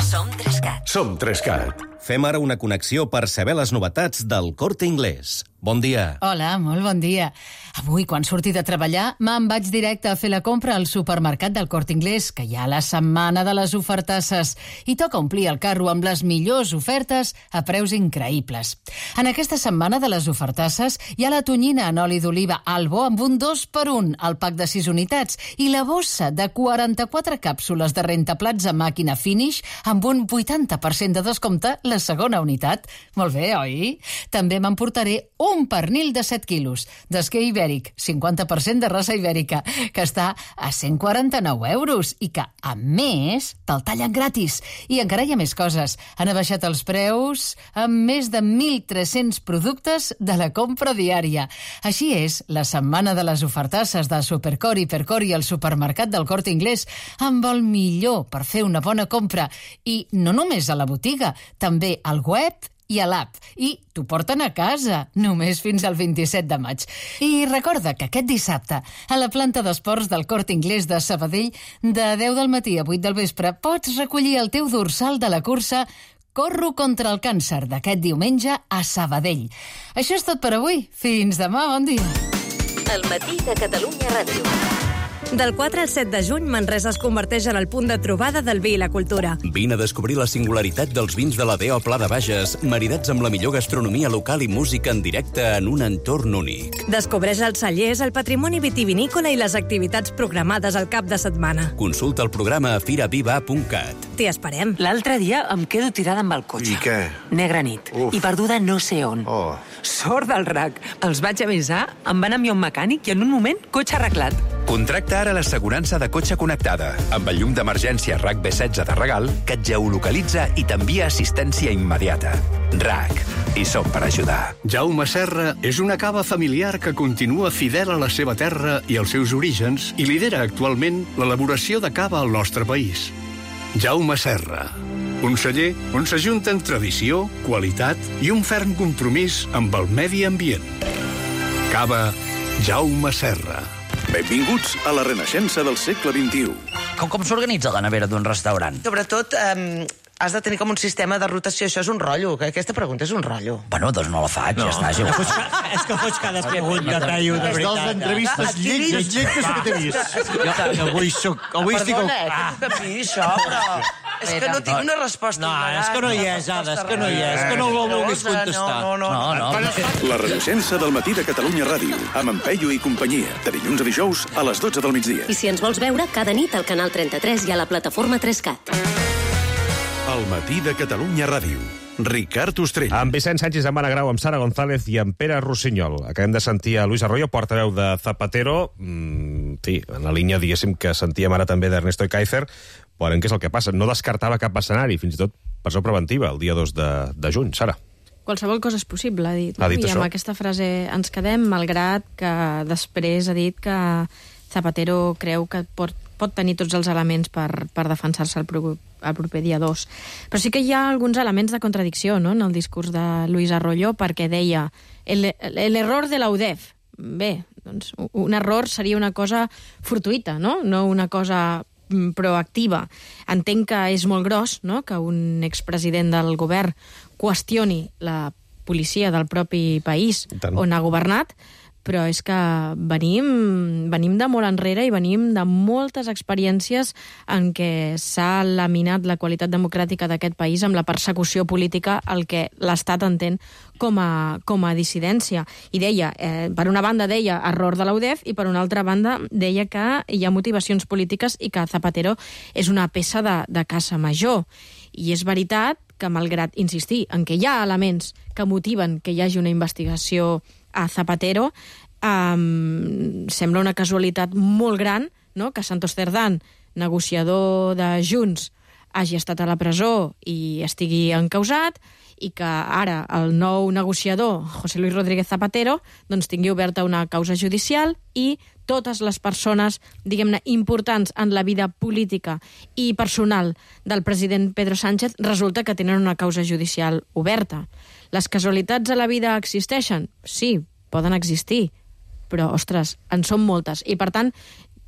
Som tres cat. Som tres cat. Fem ara una connexió per saber les novetats del Corte Inglés. bon dia. Hola, molt bon dia. Avui, quan surti de treballar, me'n vaig directe a fer la compra al supermercat del Corte Inglés, que hi ha la setmana de les ofertasses, i toca omplir el carro amb les millors ofertes a preus increïbles. En aquesta setmana de les ofertasses hi ha la tonyina en oli d'oliva Albo amb un dos per un al pack de sis unitats i la bossa de quaranta-quatre càpsules de rentaplats a màquina Finish amb un vuitanta per cent de descompte la segona unitat. Molt bé, oi? També m'emportaré un pernil de set quilos, d'esquer ibèric, cinquanta per cent de raça ibèrica, que està a cent quaranta-nou euros i que, a més, te'l tallen gratis. I encara hi ha més coses. Han abaixat els preus amb més de mil tres-cents productes de la compra diària. Així és la setmana de les ofertasses de Supercor i Hipercor i el supermercat del Corte Inglés amb el millor per fer una bona compra. I no només a la botiga, també al web i a l'app. I t'ho porten a casa, només fins al vint-i-set de maig. I recorda que aquest dissabte, a la planta d'esports del Corte Inglés de Sabadell, de deu del matí a vuit del vespre, pots recollir el teu dorsal de la cursa Corro contra el càncer d'aquest diumenge a Sabadell. Això és tot per avui. Fins demà, bon dia. El matí de Catalunya Ràdio. Del quatre al set de juny, Manresa es converteix en el punt de trobada del vi i la cultura. Vine a descobrir la singularitat dels vins de la D O Pla de Bages, maridats amb la millor gastronomia local i música en directe en un entorn únic. Descobreix els cellers, el patrimoni vitivinícola i les activitats programades al cap de setmana. Consulta el programa a firaviva punt cat. T'hi esperem. L'altre dia em quedo tirada amb el cotxe. I què? Negra nit. Uf. I perduda no sé on. Oh. Sort del R A C. Els vaig avisar, em van enviar un mecànic i en un moment, cotxe arreglat. Contracta ara l'assegurança de cotxe connectada, amb el llum d'emergència R A C B setze de regal, que et geolocalitza i t'envia assistència immediata. R A C. Hi som per ajudar. Jaume Serra és una cava familiar que continua fidel a la seva terra i als seus orígens i lidera actualment l'elaboració de cava al nostre país. Jaume Serra, un celler on s'ajunten tradició, qualitat i un ferm compromís amb el medi ambient. Cava Jaume Serra. Benvinguts a la renaixença del segle vint-i-u. Com, com s'organitza la nevera d'un restaurant? Sobretot, eh, has de tenir com un sistema de rotació. Això és un rotllo. Aquesta pregunta és un rotllo. Bueno, doncs no la faig, no. Ja està. No fots, és que fots cada pregunta, tallo, de veritat. És dels entrevistes lletges, lletges que t'he vist. Jo avui soc... Avui estic... Perdona, eh, que t'ho capi, això, però... És que no tinc una resposta. No, és que no hi és, Ada, és que no hi és. És que no ho vulguis contestar. No, no, no. La renaixença del matí de Catalunya Ràdio, amb en Peyu i companyia, de dilluns a dijous a les dotze del migdia. I si ens vols veure, cada nit al canal trenta-tres i a la plataforma tres cat. El matí de Catalunya Ràdio. Ricard Ostrell. Amb Vicent Sánchez, amb Anna Grau, amb Sara González i amb Pere Rossinyol. Acabem de sentir a Luis Arroyo, portaveu de Zapatero, mm, sí, en la línia, diguéssim, que sentíem ara també d'Ernesto Ekaizer. Veurem què és el que passa. No descartava cap escenari, fins i tot presó preventiva, el dia dos de, de juny. Sara. Qualsevol cosa és possible, ha dit. Ha dit I això. amb aquesta frase ens quedem, malgrat que després ha dit que Zapatero creu que pot, pot tenir tots els elements per, per defensar-se el, pro, el proper dia dos. Però sí que hi ha alguns elements de contradicció, no?, en el discurs de Luis Arroyo, perquè deia l'error de la U D E F. Bé, doncs un error seria una cosa fortuïta, no?, no una cosa proactiva. Entenc que és molt gros, no?, que un expresident del govern qüestioni la policia del propi país on ha governat, però és que venim, venim de molt enrere i venim de moltes experiències en què s'ha laminat la qualitat democràtica d'aquest país amb la persecució política, el que l'Estat entén com a, com a dissidència. I deia, eh, per una banda deia error de la U D E F i per una altra banda deia que hi ha motivacions polítiques i que Zapatero és una peça de, de caça major. I és veritat que, malgrat insistir en que hi ha elements que motiven que hi hagi una investigació a Zapatero, um, sembla una casualitat molt gran, no?, que Santos Cerdán, negociador de Junts, hagi estat a la presó i estigui encausat, i que ara el nou negociador, José Luis Rodríguez Zapatero, doncs tingui oberta una causa judicial i totes les persones, diguem-ne, importants en la vida política i personal del president Pedro Sánchez resulta que tenen una causa judicial oberta. Les casualitats a la vida existeixen? Sí, poden existir, però, ostres, en són moltes. I, per tant,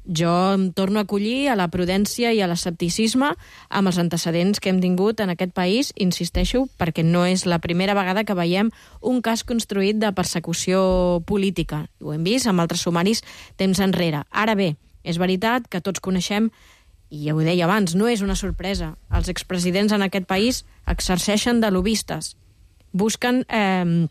Jo em torno a acollir a la prudència i a l'escepticisme amb els antecedents que hem tingut en aquest país, insisteixo, perquè no és la primera vegada que veiem un cas construït de persecució política. Ho hem vist amb altres sumaris temps enrere. Ara bé, és veritat que tots coneixem, i ja ho deia abans, no és una sorpresa. Els expresidents en aquest país exerceixen de lobbistes. Busquen eh,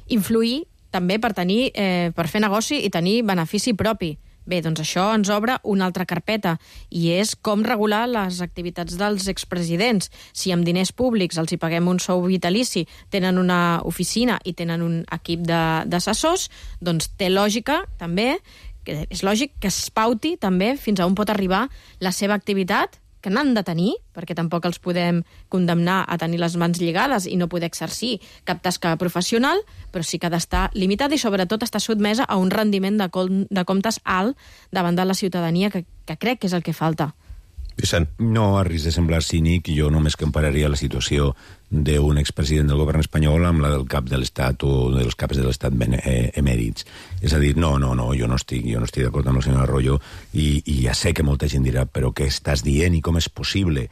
influir també per tenir, eh, per fer negoci i tenir benefici propi. Bé, doncs això ens obre una altra carpeta, i és com regular les activitats dels expresidents. Si amb diners públics els hi paguem un sou vitalici, tenen una oficina i tenen un equip d'assessors, doncs té lògica, també, que és lògic que es pauti també fins a on pot arribar la seva activitat, que n'han de tenir, perquè tampoc els podem condemnar a tenir les mans lligades i no poder exercir cap tasca professional, però sí que ha d'estar limitada i sobretot està sotmesa a un rendiment de, com, de comptes alt davant de la ciutadania, que, que crec que és el que falta. Vicent. No, a risc de semblar cínic, jo només compararia la situació d'un expresident del govern espanyol amb la del cap de l'Estat o dels caps de l'Estat emèrits. És a dir, no, no, no, jo no estic, jo no estic d'acord amb el senyor Arroyo i, i ja sé que molta gent dirà, però què estàs dient i com és possible?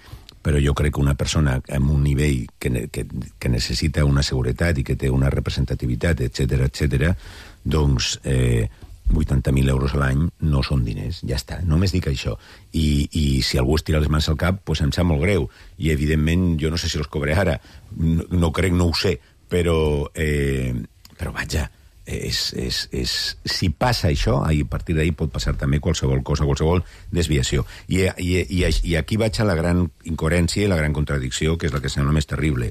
Però jo crec que una persona amb un nivell que, que, que necessita una seguretat i que té una representativitat, etcètera, etcètera, doncs eh, vuitanta mil euros a l'any no són diners, ja està, només dic això. I, i si algú es tira les mans al cap, doncs em sap molt greu. I, evidentment, jo no sé si els cobré ara, no, no crec, no ho sé, però, eh, però vaja, és, és, és, si passa això, a partir d'ahir pot passar també qualsevol cosa, qualsevol desviació. I, i, i, i aquí vaig a la gran incoherència i la gran contradicció, que és la que sembla més terrible.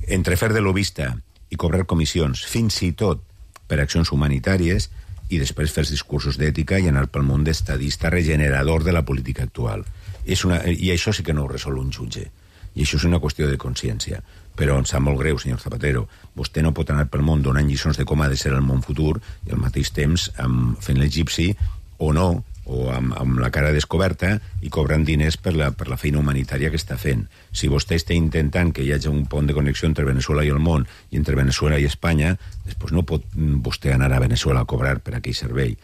Entre fer de lobista i cobrar comissions, fins i tot per accions humanitàries, i després fer discursos d'ètica i anar pel món d'estadista regenerador de la política actual. És una, I això sí que no ho resol un jutge. I això és una qüestió de consciència. Però em sap molt greu, senyor Zapatero. Vostè no pot anar pel món donant lliçons de com ha de ser el món futur i al mateix temps amb, fent l'egipci o no, o amb, amb la cara descoberta i cobrant diners per la, per la feina humanitària que està fent. Si vostè està intentant que hi hagi un pont de connexió entre Venezuela i el món i entre Venezuela i Espanya, després no pot vostè anar a Venezuela a cobrar per aquell servei.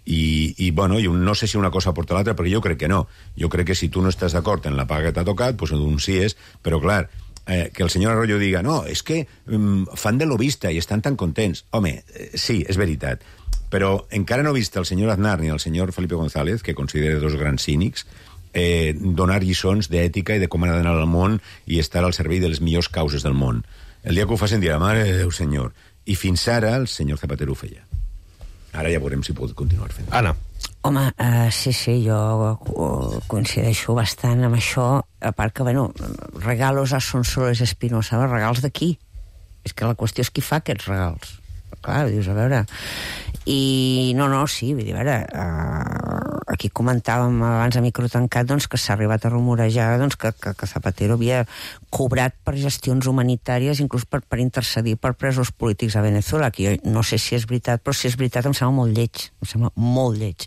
I, i bueno, jo no sé si una cosa porta l'altra, perquè jo crec que no. Jo crec que si tu no estàs d'acord en la paga que t'ha tocat, doncs ho denuncies, però clar, eh, que el senyor Arroyo diga, no, és que um, fan de lobista i estan tan contents. Home, eh, sí, és veritat, però encara no he vist el senyor Aznar ni el senyor Felipe González, que considera dos grans cínics, eh, donar lliçons d'ètica i de com ha d'anar al món i estar al servei de les millors causes del món. El dia que ho facin dirà, mare de Déu, senyor. I fins ara el senyor Zapatero ho feia. Ara ja veurem si pot continuar fent. Anna. Home, uh, sí, sí, jo uh, coincideixo bastant amb això, a part que, bueno, regalos a Sonsoles Espinosa, regals d'aquí. És que la qüestió és qui fa aquests regals. Clar, dius, a veure... I no, no, sí, vull dir, a veure, uh, aquí comentàvem abans a micro tancat doncs, que s'ha arribat a rumorejar doncs, que, que, que Zapatero havia cobrat per gestions humanitàries, inclús per, per intercedir per presos polítics a Venezuela, que jo no sé si és veritat, però si és veritat em sembla molt lleig, em sembla molt lleig.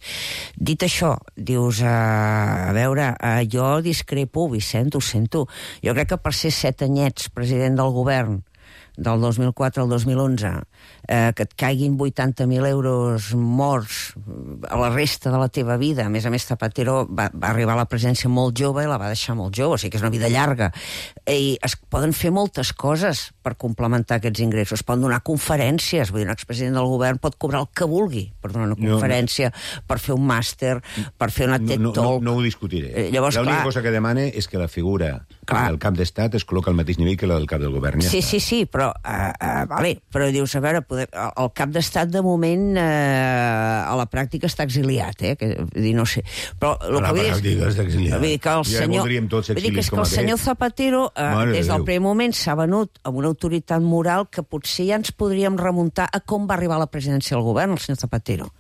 Dit això, dius, uh, a veure, uh, jo discrepo, Vicent, ho sento, jo crec que per ser set anyets president del govern del dos mil quatre al dos mil onze, eh, que et caiguin vuitanta mil euros morts a la resta de la teva vida. A més a més, Zapatero va, va arribar a la presidència molt jove i la va deixar molt jove, o sigui que és una vida llarga. I es poden fer moltes coses per complementar aquests ingressos. Es poden donar conferències, vull dir, un expresident del govern pot cobrar el que vulgui per donar una conferència, no, no. per fer un màster, per fer una TED no, Talk. No, no, no ho discutiré. Eh, llavors, L'única clar, cosa que demane és que la figura del cap d'estat es col·loca al mateix nivell que la del cap del govern. Ja sí, està. sí, sí, però Uh, uh, vale, però dius, a veure, poder, el cap d'estat de moment uh, a la pràctica està exiliat, eh? Que, dir, no sé. Però el a la que pràctica està exiliat. Vull dir que el ja senyor, voldríem tots vull dir que, és que el senyor Zapatero uh, des del primer moment s'ha venut amb una autoritat moral que potser ja ens podríem remuntar a com va arribar a la presidència del govern, el senyor Zapatero.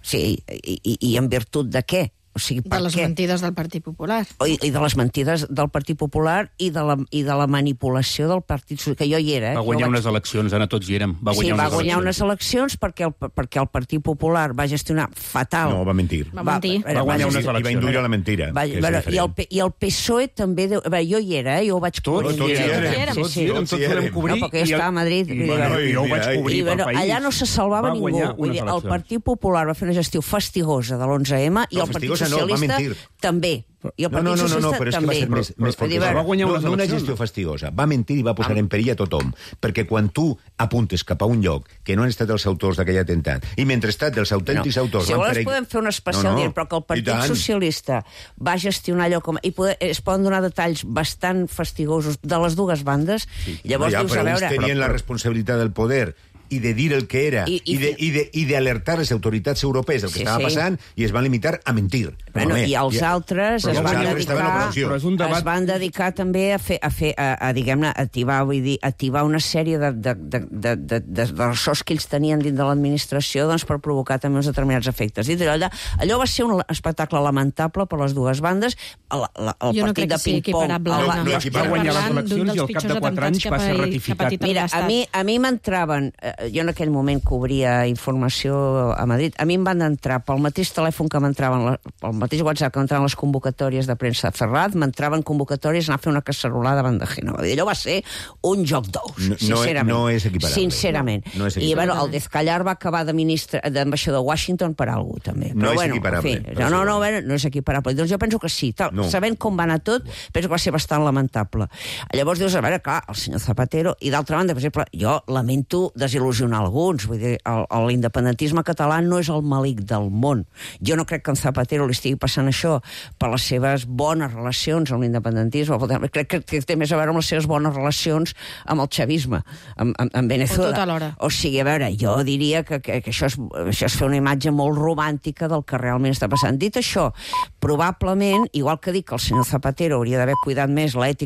Sí, i, i, i en virtut de què? O sigui, De per les què? mentides del Partit Popular. I, I de les mentides del Partit Popular i de la, i de la manipulació del Partit Socialista, que jo hi era. Eh? Va guanyar Jo vaig... unes eleccions, Anna, tots hi érem. Va sí, guanyar va unes guanyar eleccions. unes eleccions perquè el, perquè el Partit Popular va gestionar fatal. No, va mentir. Va mentir. Va, Va guanyar va, unes I va eleccions. induir a la mentira. va, que és bueno, i, el, diferent. P- I el P S O E també... Deu... Bé, jo hi era, eh? Jo ho vaig Tots, tots hi érem. Tots Sí, sí. Tots hi érem cobrir. No, perquè jo estava a Madrid. I, vull dir, bueno, jo ho vaig I- cobrir I, pel bueno, país. allà no se salvava Va ningú. guanyar Vull unes dir, el eleccions. Partit Popular va fer una gestió fastigosa de l'onze eme i No, el Partit fastigosa no, va Socialista mentir. també. I el No, Partit no, no, no, no, Socialista però és que va també. ser més, més Vull dir, fortosa. va guanyar no, unes no una eleccions. gestió fastigosa. Va mentir i va posar en perill a tothom. Perquè quan tu apuntes cap a un lloc que no han estat els autors d'aquell atemptat, i mentrestant els autèntics no. autors Si van vols per... podem fer un especial No, no, dient, però que el i Partit tant. Socialista va gestionar allò com... I poder, es poden donar detalls bastant fastigosos de les dues bandes. Sí. Llavors no, ja, dius, però a veure... uns tenien la responsabilitat del poder i de dir el que era I, i, i, de, i, de, i d'alertar les autoritats europees del que Sí, estava sí. passant i es van limitar a mentir. Bueno, Home, i els i- altres però es els van, altres estaven en dedicar, operació. Però és un debat- es van dedicar també a fer, a, fer, a, a diguem-ne, a activar, vull dir, activar una sèrie de, de, de, de, de, de, de ressorts que ells tenien dins de l'administració doncs, per provocar també uns determinats efectes. Dit allò, allò va ser un espectacle lamentable per les dues bandes. El, el, el Jo no partit crec de que sigui ping-pong... equiparable. No, Anna. no Estem equiparable. Va guanyar les parlant eleccions d'un i dels al cap de pitjors quatre anys atemptats va ser que ha- ratificat. que ha patit Mira, a l'Estat. mi, a mi m'entraven... Eh, jo en aquell moment cobria informació a Madrid. A mi em van entrar pel mateix telèfon que m'entraven, la- pel mateix WhatsApp que m'entraven les convocatòries de premsa de Ferraz, m'entraven convocatòries a anar a fer una cacerolada davant de Génova. Allò va ser un joc d'ous, No- no- sincerament. no és equiparable. Sincerament. No és I equiparable. bueno, el Dezcallar va acabar de ministre, d'ambaixador de Washington per algú, també. No Però, és bueno, equiparable, En fi, però no, no, sí. no, bueno, no és equiparable. Doncs jo penso que sí. Tal, No. Sabent com va anar tot, penso que va ser bastant lamentable. Llavors dius, a veure, clar, el senyor Zapatero, i d'altra banda, per exemple, jo lamento desil·lusionar alguns, vull dir, el, el, l'independentisme català no és el malic del món. Jo no crec que en Zapatero li estigui passant això per les seves bones relacions amb l'independentisme, crec que, que té més a veure amb les seves bones relacions amb el xavisme, amb, amb, amb Venezuela. O tot alhora. O sigui, a veure, jo diria que, que, que això, és, això és fer una imatge molt romàntica del que realment està passant. Dit això, probablement, igual que dic que el senyor Zapatero hauria d'haver cuidat més l'ètica